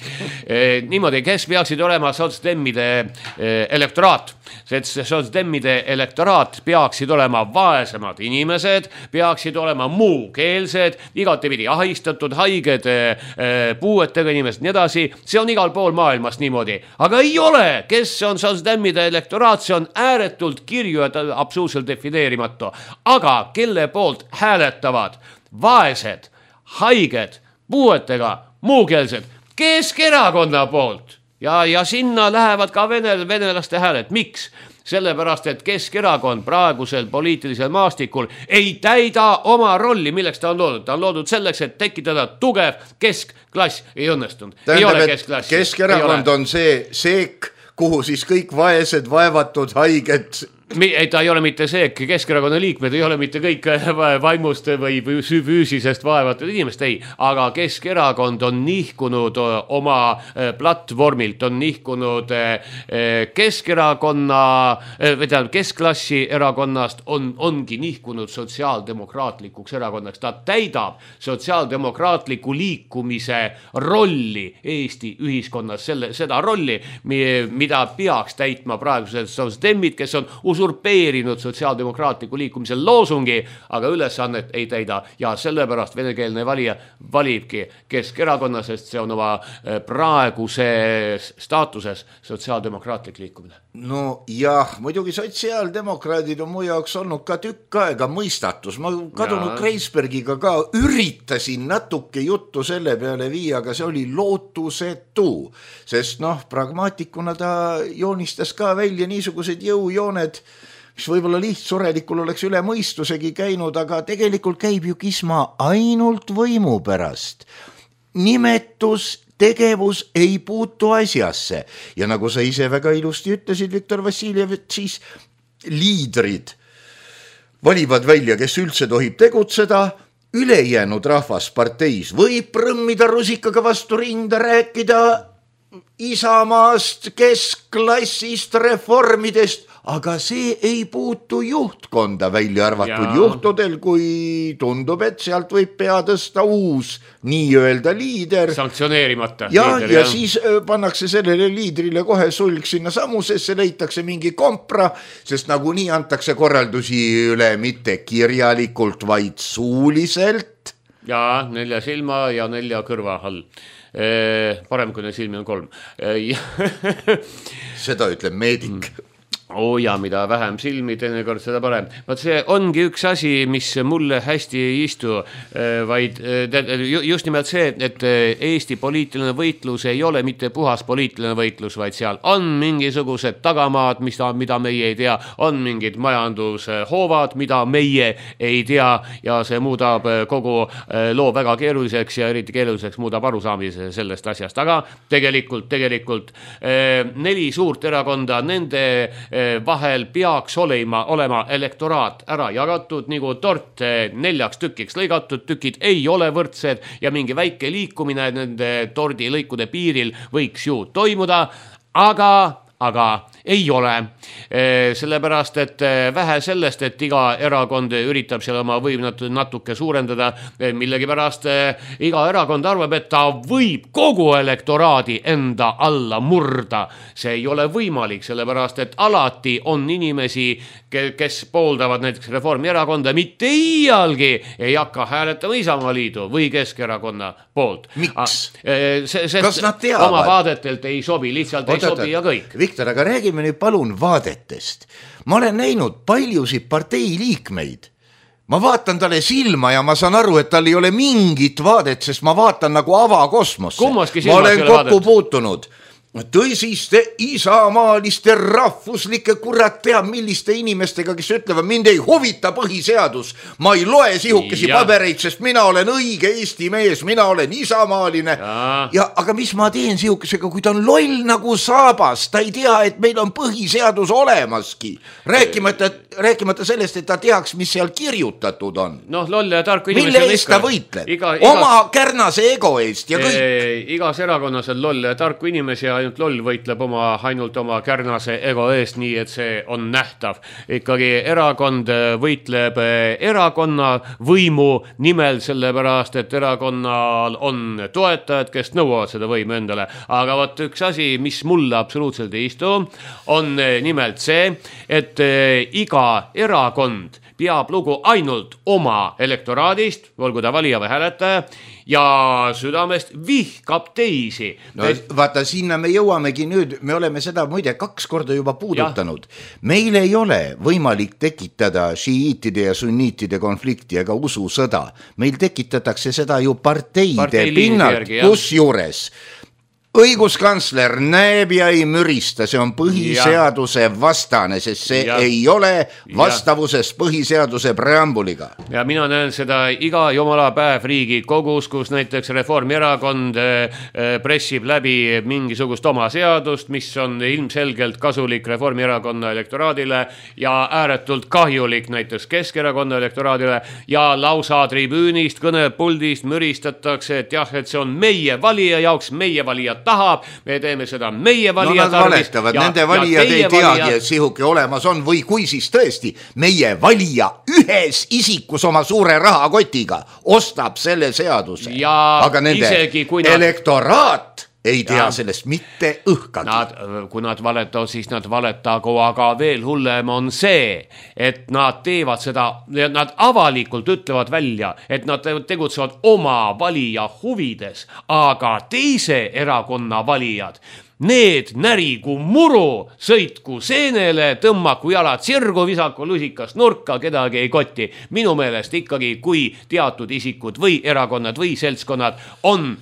Niimoodi, kes peaksid olema sotsdemmide elektoraat? Sotsdemmide elektoraat peaksid olema vaesemad inimesed, peaksid olema muukeelsed, igatepidi ahistatud, haiged, puuetega inimesed, nii edasi. See on igal pool maailmas niimoodi. Aga ei ole, kes on sotsdemmide elektoraat, see on ääretult kirju ja absoluutselt defineerimatu. Aga kelle poolt hääletavad vaesed, haiged, puuetega, muukeelsed, Keskerakonna poolt. Ja sinna lähevad ka venelaste hääled. Miks? Sellepärast, et Keskerakond praegusel poliitilisel maastikul ei täida oma rolli, milleks ta on loodud. Ta on loodud selleks, et tekitada tugev keskklass. Ei õnnestunud. Ei ole keskklassi. Keskerakond on see seek, kuhu siis kõik vaesed, vaevatud, haiged... Ei, ta ei ole mitte see, Keskerakonna liikmed ei ole mitte kõik vaimust või füüsisest vaevatud inimest, ei, aga Keskerakond on nihkunud oma platvormilt, on nihkunud Keskerakonna, keskklassi erakonnast, ongi nihkunud sotsiaaldemokraatlikuks erakonnaks. Ta täidab sotsiaaldemokraatliku liikumise rolli Eesti ühiskonnas, seda rolli, mida peaks täitma praegused sotsdemmid, kes on usurpeerinud sotsiaaldemokraatliku liikumisel loosungi, aga ülesannet ei täida ja sellepärast venekeelne valija valibki Keskerakonna, sest see on oma praeguse staatuses sotsiaaldemokraatlik liikumine. No jah, muidugi sotsiaaldemokraadid on mu jaoks olnud ka tükk aega mõistatus. Ma kadunud Kreisbergiga ka üritasin natuke juttu selle peale viia, aga see oli lootusetu, sest pragmaatikuna ta joonistas ka välja niisugused jõujooned, mis võib-olla lihtsurelikul oleks üle mõistusegi käinud, aga tegelikult käib ju kisma ainult võimu pärast. Nimetus tegevus ei puutu asjasse ja nagu sa ise väga ilusti ütlesid, Viktor Vassiljev, et siis liidrid valivad välja, kes üldse tohib tegutseda, ülejäänud rahvas parteis võib prõmmida rusikaga vastu rinda, rääkida Isamaast, keskklassist, reformidest, aga see ei puutu juhtkonda, välja arvatud juhtudel, kui tundub, et sealt võib pea tõsta uus nii-öelda liider. Sanktsioneerimata liider. Ja siis pannakse sellele liidrile kohe sulg sinna samusesse, leitakse mingi kompra, sest nagunii antakse korraldusi üle mitte kirjalikult, vaid suuliselt. Ja 4 silma ja 4 kõrva all. Parem, kui silmi on 3. Seda ütleb meedik. Ja mida vähem silmi, teinekord seda parem. Vaat see ongi üks asi, mis mulle hästi ei istu, vaid just nimelt see, et Eesti poliitiline võitlus ei ole mitte puhas poliitiline võitlus, vaid seal on mingisugused tagamaad, mida meie ei tea, on mingid majandushoovad, mida meie ei tea ja see muudab kogu loo väga keeruliseks ja eriti keeruliseks muudab arusaamise sellest asjast. Aga tegelikult 4 suurt erakonda, nende vahel peaks olema elektoraat ära jagatud, nagu tort 4 tükiks lõigatud, tükid ei ole võrdsed ja mingi väike liikumine nende tordi lõikude piiril võiks ju toimuda, aga ei ole. Sellepärast, et vähe sellest, et iga erakond üritab seal oma võim natuke suurendada, millegi pärast iga erakond arvab, et ta võib kogu elektoraadi enda alla murda. See ei ole võimalik, sellepärast, et alati on inimesi, kes pooldavad näiteks Reformierakonda, mitte iialgi ei hakka hääletama Isamaaliidu või Keskerakonna poolt. Miks? Kas nad teavad? Oma vaadetelt ei sobi, lihtsalt ei sobi ja kõik. Viktor, aga räägime nüüd palun vaadetest. Ma olen näinud paljusid partei liikmeid. Ma vaatan talle silma ja ma saan aru, et tal ei ole mingit vaadet, sest ma vaatan nagu avakosmosse. Ma olen kokku puutunud tõsiste isamaaliste rahvuslike kurat teab milliste inimestega, kes ütlevad, mind ei huvita põhiseadus, ma ei loe sihukesi pabereid, sest mina olen õige Eesti mees, mina olen isamaaline aga mis ma teen sihukesega, kui ta on loll nagu saabas, ta ei tea, et meil on põhiseadus olemaski, rääkimata sellest, et ta teaks, mis seal kirjutatud on. Loll ja tarku inimesi mille eest ta võitleb? Oma kärnase ego eest ja kõik. Igas erakonnas on loll ja tarku inimesi ja ainult loll võitleb ainult oma kärnase ego eest, nii et see on nähtav. Ikkagi erakond võitleb erakonna võimu nimel, sellepärast, et erakonnal on toetajad, kes nõuavad seda võimu endale. Aga võt üks asi, mis mulle absoluutselt ei istu, on nimelt see, et iga erakond peab lugu ainult oma elektoraadist, olgu ta valija või hääletaja, ja südamest vihkab teisi. Vaata, sinna me jõuamegi nüüd, me oleme seda muide 2 korda juba puudutanud. Meil ei ole võimalik tekitada šiiitide ja sunniitide konflikti ega ususõda. Meil tekitatakse seda ju parteide pinnalt, kus juures õiguskantsler näeb ja ei mürista, see on põhiseaduse vastane, sest see ei ole vastavuses põhiseaduse preambuliga. Ja mina näen seda iga jumala päev Riigikogus, kus näiteks Reformierakond pressib läbi mingisugust oma seadust, mis on ilmselgelt kasulik Reformierakonna elektoraadile ja ääretult kahjulik näiteks Keskerakonna elektoraadile ja lausa tribüünist, kõnepuldist müristatakse, et jah, et see on meie valija jaoks, meie valija tahab, me teeme seda meie valija tarvis. Nende valijad ei teagi, et sihuke olemas on või kui siis tõesti meie valija ühes isikus oma suure rahakotiga ostab selle seaduse. Aga nende elektoraat ei tea sellest mitte õhkagi. Kui nad valetavad, siis nad valetagu, aga veel hullem on see, et nad teevad seda, nad avalikult ütlevad välja, et nad tegutsevad oma valija huvides, aga teise erakonna valijad, need närigu muru, sõitku seenele, tõmmaku jalad sirgu, visaku lusikas nurka, kedagi ei kotti. Minu meelest ikkagi, kui teatud isikud või erakonnad või seltskonnad on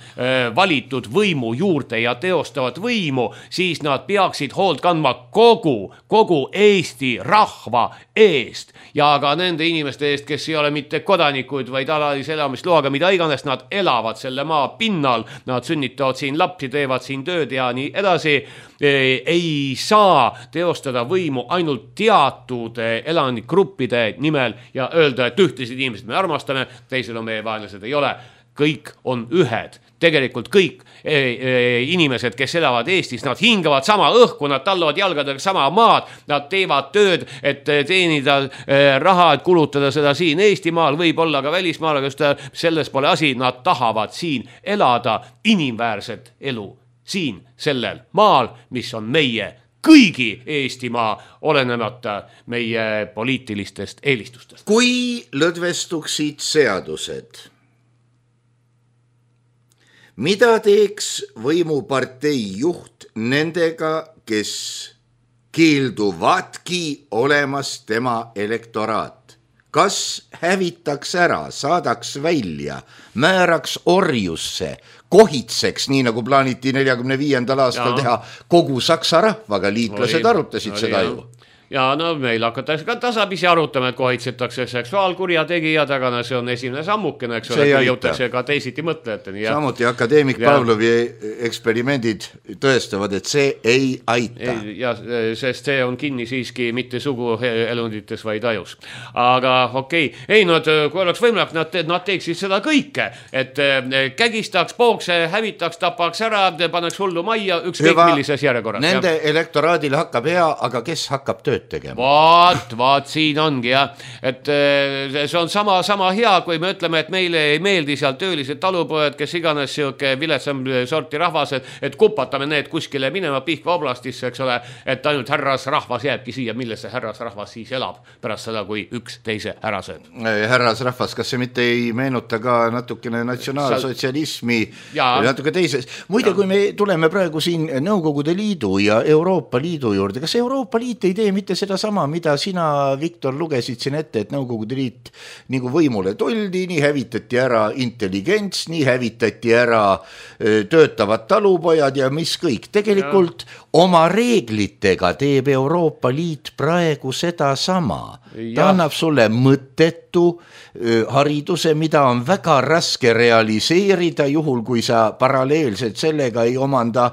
valitud võimu juurde ja teostavad võimu, siis nad peaksid hoolt kandma kogu Eesti rahva eest ja ka nende inimeste eest, kes ei ole mitte kodanikud, vaid alalise elamisloaga, mida iganes, nad elavad selle maa pinnal, nad sünnitavad siin lapsi, teevad siin tööd ja nii edasi. Ei saa teostada võimu ainult teatud elanikgruppide nimel ja öelda, et ühtesid inimesed me armastame, teised on meie vaenlased, ei ole. Kõik on ühed. Tegelikult kõik inimesed, kes elavad Eestis, nad hingavad sama õhku, nad tallavad jalgadega sama maad, nad teevad tööd, et teenida raha, et kulutada seda siin Eestimaal, võib-olla ka välismaal, aga selles pole asi, nad tahavad siin elada inimväärset elu. Siin sellel maal, mis on meie kõigi Eestimaa, olenemata meie poliitilistest eelistustest. Kui lõdvestuksid seadused, mida teeks võimupartei juht nendega, kes keelduvadki olemas tema elektoraat? Kas hävitaks ära, saadaks välja, määraks orjusse, kohitseks, nii nagu plaaniti 45. aastal teha kogu Saksa rahvaga, liitlased arutasid seda ju. Ja no meil hakatakse ka tasapisi arutama, et kohitsetakse seksuaalkurjategijad, aga see on esimene sammukene, eks ole, jõutakse ka teisiti mõtlejateni. Samuti akadeemik Pavlovi eksperimendid tõestavad, et see ei aita. Ja sest see on kinni siiski mitte suguelundites, vaid ajus. Aga okei. Ei, kui oleks võimalik, nad teeksid seda kõike, et kägistaks, pookse, hävitaks, tapaks ära, paneks hullu majja, ükskõik millises järjekorras. Nende elektoraadile hakkab hea, aga kes hakkab tööd tegema? Vaat siin ongi jah, et see on sama hea, kui me ütleme, et meile ei meeldi seal töölised talupojad, kes iganes siuke viletsam sorti rahvas, et kupatame need kuskile minema Pihkva oblastisse, eks ole, et ainult härras rahvas jääbki siia, milles see härras rahvas siis elab pärast seda, kui üks teise ära sööb. Härras rahvas, kas see mitte ei meenuta ka natukene natsionaalsotsialismi natuke teises? Muide, kui me tuleme praegu siin Nõukogude Liidu ja Euroopa Liidu juurde, kas Euroopa Liit ei tee mitte seda sama, mida sina, Viktor, lugesid siin ette, et Nõukogude Liit nagu võimule tuldi, nii hävitati ära intelligents, nii hävitati ära töötavad talupojad ja mis kõik. Tegelikult oma reeglitega teeb Euroopa Liit praegu seda sama. Ta annab sulle mõttetu hariduse, mida on väga raske realiseerida, juhul kui sa paralleelselt sellega ei omanda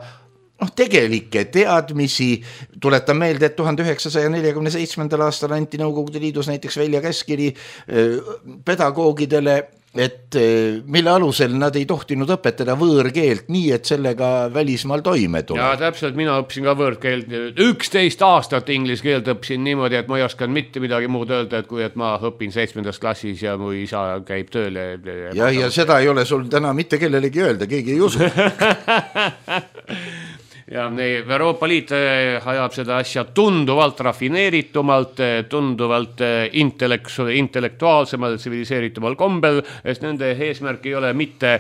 tegelikke teadmisi. Tuletan meelde, et 1947. aastal anti Nõukogude Liidus näiteks välja käskiri pedagoogidele, et mille alusel nad ei tohtinud õpetada võõrkeelt nii, et sellega välismaal toime tuleb. Ja täpselt, mina õppisin ka võõrkeelt. 11 aastat inglise keelt õppisin niimoodi, et ma ei oskan mitte midagi muud öelda, et kui et ma õpin 7. klassis ja mu isa käib tööle. Ja seda ei ole sul täna mitte kellelegi öelda, keegi ei usu. Ja Euroopa Liit ajab seda asja tunduvalt rafineeritumalt, tunduvalt intellektuaalsemal, tsiviliseeritumal kombel, sest nende eesmärk ei ole mitte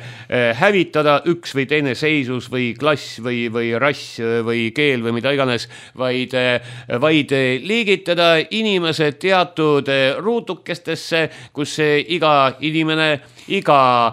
hävitada üks või teine seisus või klass või rass või keel või mida iganes, vaid liigitada inimesed teatud ruutukestesse, kus iga inimene, iga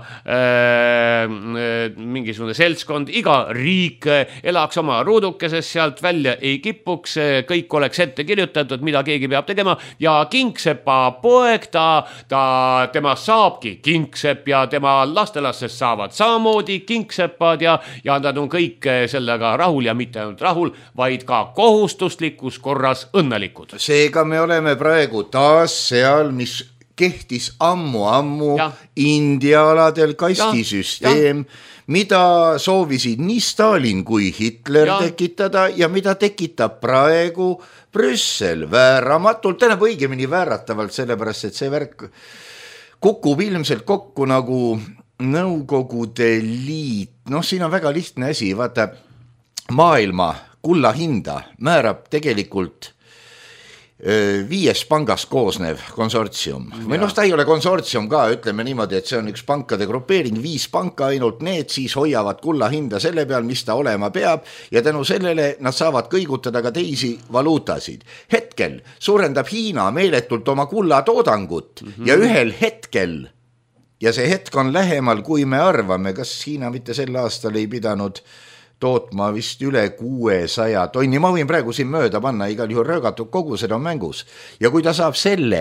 mingisugune seltskond, iga riik elaks oma ruudukeses, sealt välja ei kipuks, kõik oleks ette kirjutatud, mida keegi peab tegema ja kingsepa poeg tema saabki kingsepp ja tema lastelastest saavad samamoodi kingsepad ja nad on kõik sellega rahul ja mitte ainult rahul, vaid ka kohustuslikus korras õnnelikud. Seega me oleme praegu taas seal, mis kehtis ammu India aladel kastisüsteem, mida soovisid nii Stalin kui Hitler tekitada ja mida tekitab praegu Brüssel vääramatult, tähendab õigemini vääratavalt, sellepärast et see värk kukub ilmselt kokku nagu Nõukogude Liit. Siin on väga lihtne asi, vaata, maailma kulla hinda määrab tegelikult 5 pangast koosnev konsortsium või noh, ta ei ole konsortsium ka, ütleme niimoodi, et see on üks pankade grupeering, 5 panka ainult, need siis hoiavad kulla hinda selle peal, mis ta olema peab ja tänu sellele nad saavad kõigutada ka teisi valuutasid. Hetkel suurendab Hiina meeletult oma kullatoodangut ja ühel hetkel, ja see hetk on lähemal, kui me arvame, kas Hiina mitte sel aastal ei pidanud tootma vist üle 600 tonni, ma võin praegu siin mööda panna, igal juhul röögatud kogused on mängus ja kui ta saab selle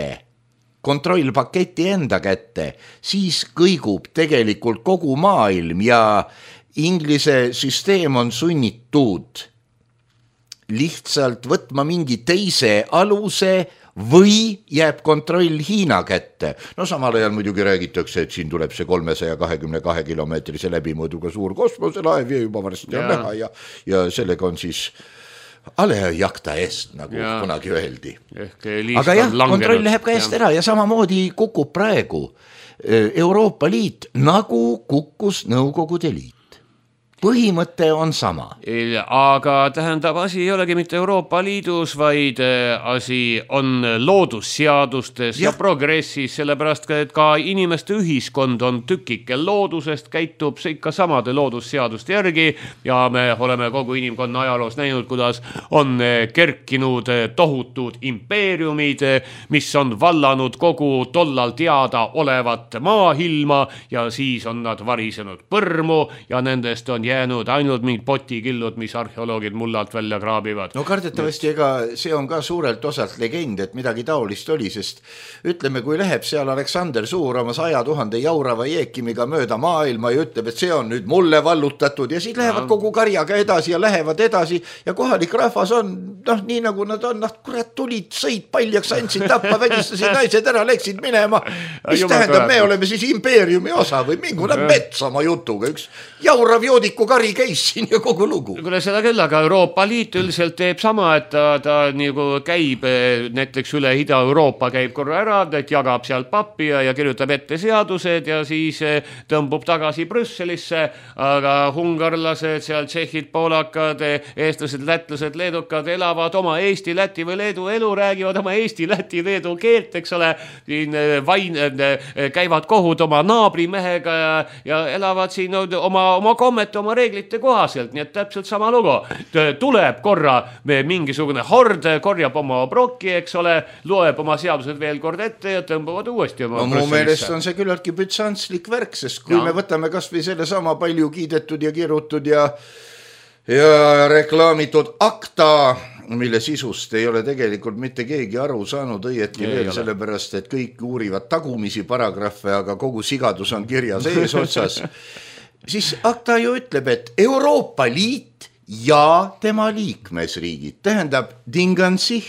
kontrollpaketi enda kätte, siis kõigub tegelikult kogu maailm ja Inglise süsteem on sunnitud lihtsalt võtma mingi teise aluse või jääb kontroll Hiina kätte. No samal ajal muidugi räägitakse, et siin tuleb see 322 kilomeetrise läbimõõduga suur kosmoselaev ja juba varsti on näha ja sellega on siis alejakta eest, nagu kunagi öeldi. Aga jah, kontroll läheb ka eest ära ja samamoodi kukub praegu Euroopa Liit, nagu kukkus Nõukogude Liit. Põhimõte on sama. Aga tähendab, asi ei olegi mitte Euroopa Liidus, vaid asi on loodusseadustes ja progressis, sellepärast, et ka inimeste ühiskond on tükike loodusest, käitub ikka samade loodusseaduste järgi ja me oleme kogu inimkonna ajaloos näinud, kuidas on kerkinud tohutud impeeriumid, mis on vallanud kogu tollal teada olevat maailma ja siis on nad varisenud põrmu ja nendest on jäänud ainult mingid potikillud, mis arheoloogid mullalt välja kraabivad. No kardetavasti ega see on ka suurelt osalt legend, et midagi taolist oli, sest ütleme, kui läheb seal Aleksander Suur oma 100 000 jaurava jeekimiga mööda maailma ja ütleb, et see on nüüd mulle vallutatud ja siis lähevad kogu karjaga edasi ja lähevad edasi ja kohalik rahvas on, nii nagu nad on, kurat, tulid, sõid paljaks, andsid tappa, vägistasid naised ära, läksid minema. Mis tähendab, me oleme siis impeeriumi osa või mingune mets oma jutuga, üks jaurav joodiku kari käis siin ja kogu lugu. Kuule seda küll, aga Euroopa Liit üldiselt teeb sama, et ta nagu käib näiteks üle Ida-Euroopa käib korra ära, et jagab seal pappi ja kirjutab ette seadused ja siis tõmbub tagasi Brüsselisse, aga hungarlased, seal tšehhid, poolakad, eestlased, lätlased, leedukad elavad oma Eesti, Läti või Leedu elu, räägivad oma Eesti, Läti, Leedu keelt, eks ole, siin käivad kohud oma naabrimehega ja elavad siin oma kommet, oma reeglite kohaselt, nii et täpselt sama lugu. Tuleb korra mingisugune hord, korjab oma brokki, eks ole, loeb oma seadused veel kord ette ja tõmbavad uuesti oma mu meelest on see küllaltki bütsantslik värk, sest kui me võtame kas või selle sama palju kiidetud ja kirutud ja reklaamitud akta, mille sisust ei ole tegelikult mitte keegi aru saanud õieti veel, sellepärast, et kõik uurivad tagumisi paragrahve, aga kogu sigadus on kirjas ees otsas. Siis akta ju ütleb, et Euroopa Liit ja tema liikmesriigid, tähendab Dingansih,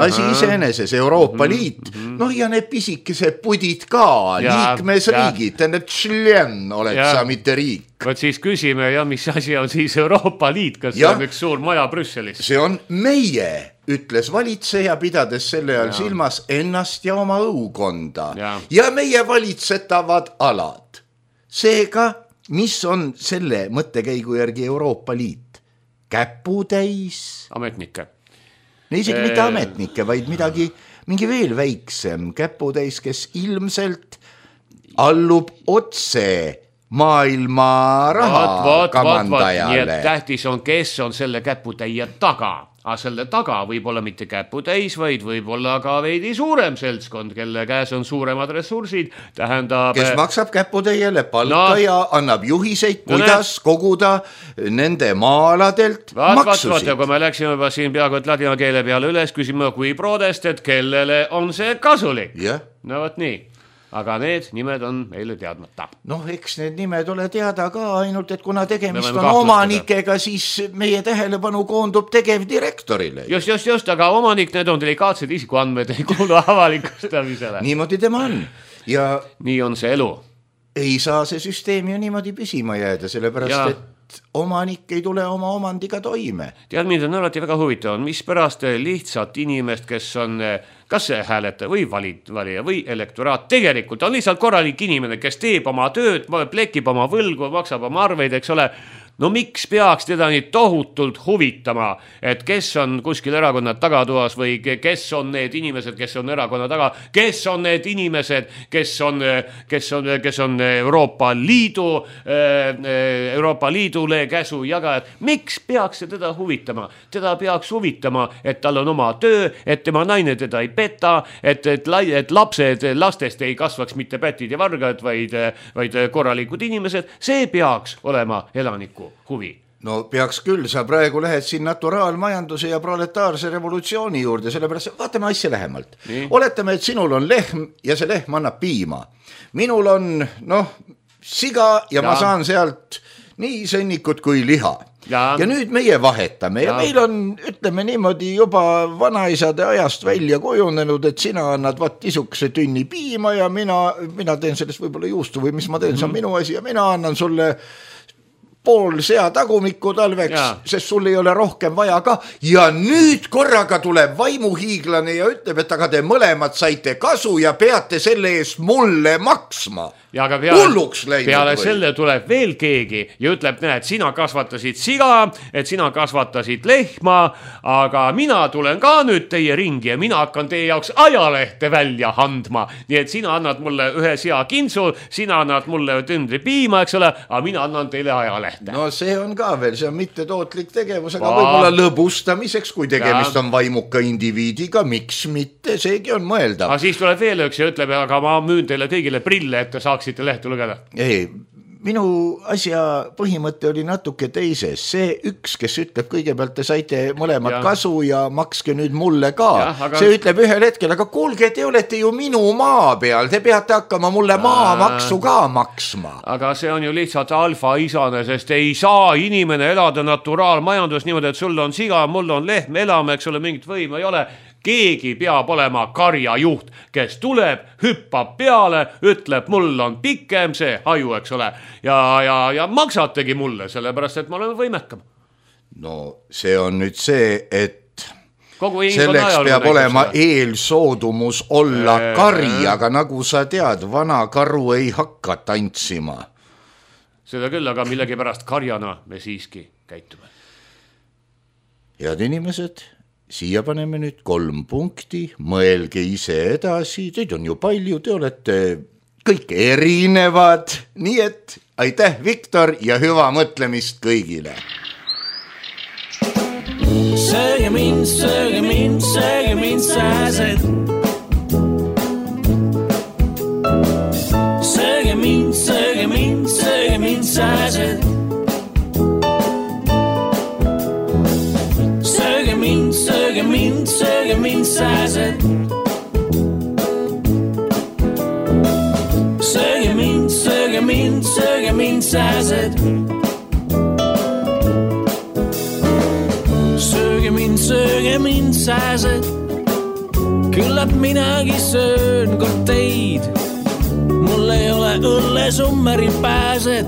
asi iseeneses Euroopa Liit, ja need pisikese pudid ka, liikmesriigid, tähendab tšljen oled sa mitte riik. Võt siis küsime, mis asi on siis Euroopa Liit, kas see on üks suur maja Brüsselis? See on meie, ütles valitseja, pidades selle all silmas ennast ja oma õukonda ja meie valitsetavad alad. Seega mis on selle mõttekäigu järgi Euroopa Liit? Käputäis? Ametnikke. Isegi mitte ametnikke, vaid mingi veel väiksem käputäis, kes ilmselt allub otse maailma raha kamandajale. Nii et tähtis on, kes on selle käputäie taga. Aga selle taga võib olla mitte käputäis, vaid võib olla ka veidi suurem seltskond, kelle käes on suuremad ressursid, tähendab... Kes maksab käputäiele palka ja annab juhiseid, kuidas koguda nende maaladelt maksusid. Ja kui me läksime juba siin peaaegu et ladina keele peale üles, küsime kui prodest, et kellele on see kasulik. No võt nii. Aga need nimed on meile teadmata. Eks need nimed ole teada ka, ainult et kuna tegemist on omanikega, siis meie tähelepanu koondub tegevdirektorile. Just, aga omanik, need on delikaatsed isikuandmed, ei kuulu avalikustamisele. Niimoodi tema on. Ja nii on see elu. Ei saa see süsteem ju niimoodi püsima jääda, sellepärast, et omanik ei tule oma omandiga toime. Tead, mind on alati väga huvitav, mis pärast lihtsalt inimest, kes on kas hääletaja või valija või elektoraat, tegelikult on lihtsalt korralik inimene, kes teeb oma tööd, plekib oma võlgu, maksab oma arveid, eks ole, No miks peaks teda nii tohutult huvitama, et kes on kuskil erakonna tagatoas või kes on need inimesed, kes on erakonna taga, kes on need inimesed, kes on Euroopa Liidule käsu jagajad. Miks peaks see teda huvitama? Teda peaks huvitama, et tal on oma töö, et tema naine teda ei peta, et lastest ei kasvaks mitte pätid ja vargad, vaid korralikud inimesed. See peaks olema elaniku huvi. No peaks küll, sa praegu lähed siin naturaalmajanduse ja proletaarse revolutsiooni juurde, sellepärast vaatame asja lähemalt. Oletame, et sinul on lehm ja see lehm annab piima. Minul on siga ja ma saan sealt nii sõnnikut kui liha. Ja nüüd meie vahetame ja meil on, ütleme niimoodi, juba vanaisade ajast välja kujunenud, et sina annad isukese tünni piima ja mina teen sellest võib-olla juustu või mis ma teen, see on minu asi ja mina annan sulle pool sea tagumikku talveks, sest sul ei ole rohkem vaja ka. Ja nüüd korraga tuleb vaimuhiiglane ja ütleb, et aga te mõlemad saite kasu ja peate selle eest mulle maksma. Ja aga peale selle tuleb veel keegi ja ütleb, näed, sina kasvatasid siga, et sina kasvatasid lehma, aga mina tulen ka nüüd teie ringi ja mina hakkan teie jaoks ajalehte välja andma. Nii et sina annad mulle ühe sea kintsu, sina annad mulle tündri piima, eks ole, aga mina annan teile ajalehte. No see on ka veel, see on mitte tootlik tegevus, aga võib-olla lõbustamiseks, kui tegemist on vaimuka indiviidiga, miks mitte, seegi on mõeldav. Aga siis tuleb veel üks ja ütleb, aga ma müün teile kõigile prille, et te saaksite lehte lugeda. Ei, minu asja põhimõte oli natuke teises. See üks, kes ütleb kõigepealt, te saite mõlemad kasu ja makske nüüd mulle ka. See ütleb ühel hetkel, aga kuulge, te olete ju minu maa peal, te peate hakkama mulle maamaksu ka maksma. Aga see on ju lihtsalt alfa-isane, sest ei saa inimene elada naturaalmajandus niimoodi, et sul on siga, mul on lehm, elame, eks ole, mingit võimu ei ole. Keegi peab olema karjajuht, kes tuleb, hüppab peale, ütleb, mul on pikem see haju, eks ole, ja maksategi mulle, sellepärast, et ma olen võimekam. No see on nüüd see, et selleks peab olema eelsoodumus olla kari, aga nagu sa tead, vana karu ei hakka tantsima. Seda küll, aga millegi pärast karjana me siiski käitume. Head inimesed, siia paneme nüüd 3 punkti, mõelge ise edasi, teid on ju palju, te olete kõik erinevad, nii et aitäh, Viktor, ja hüva mõtlemist kõigile. Sööge mind, sööge mind, sööge mind, sääsed. Sööge mind, sööge mind, sööge mind, sääsed. Sööge mind, sääsed. Sööge mind, sööge mind, sööge mind, sääsed. Sööge mind, sööge mind, sääsed. Küllap minagi söön kord teid. Mul ei ole õllesummeri pääset.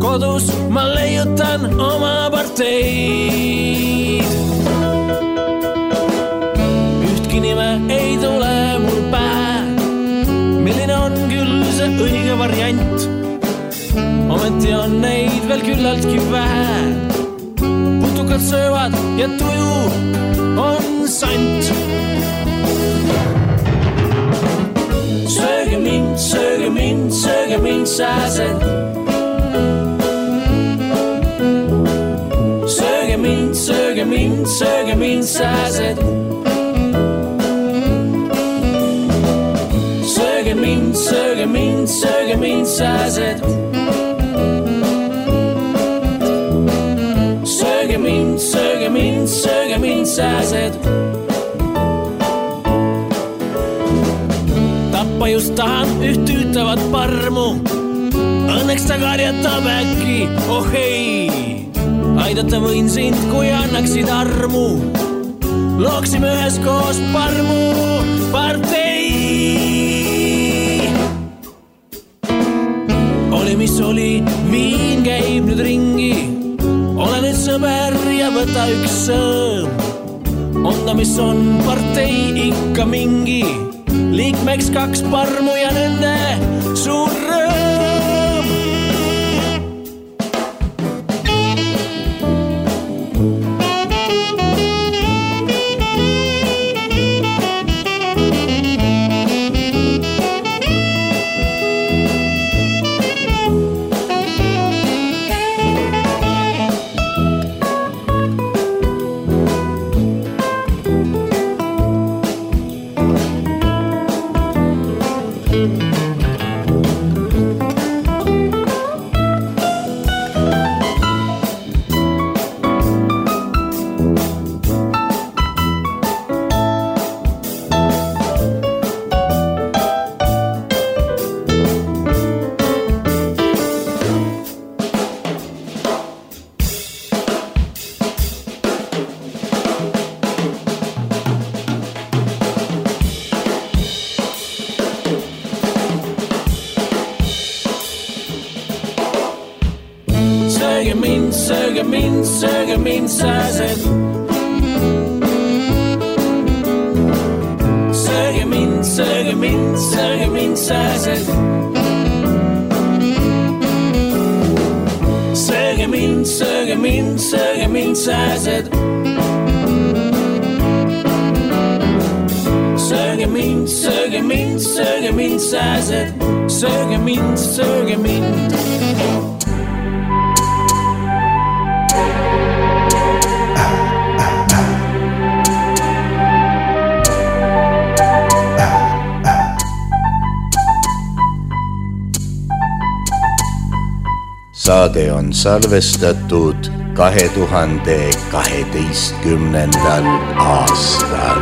Kodus ma leiutan oma parteid. Ühtki nime ei tule mul pähe. Milline on küll see õige variant? Ometi on neid veel küllaltki vähe. Putukad söövad ja tuju on sant. Sööge mind, sööge mind, sööge mind, sääsed. Sööge mind, sööge mind, sööge mind, sääsed. Sööge mind, sööge mind, sööge mind, sääsed. Sööge mind, sööge mind, sööge mind, sääsed. Tappa just tahan üht ütlevat parmu. Õnneks ta karjatab äkki, oh ei. Aidata võin sind, kui annaksid armu. Looksime üheskoos parmu partei. Oli mis oli, viin käib nüüd ringi. Ole nüüd sõber ja võta üks sõõm. On ta mis on partei ikka mingi. Liikmeks 2 parmu ja nende suur rõõm. sööge mind, sääsed. Sööge mind, sääsed. Sööge mind, sääsed. Sööge mind, sääsed. Sööge mind. Saade on salvestatud 2012. aastal.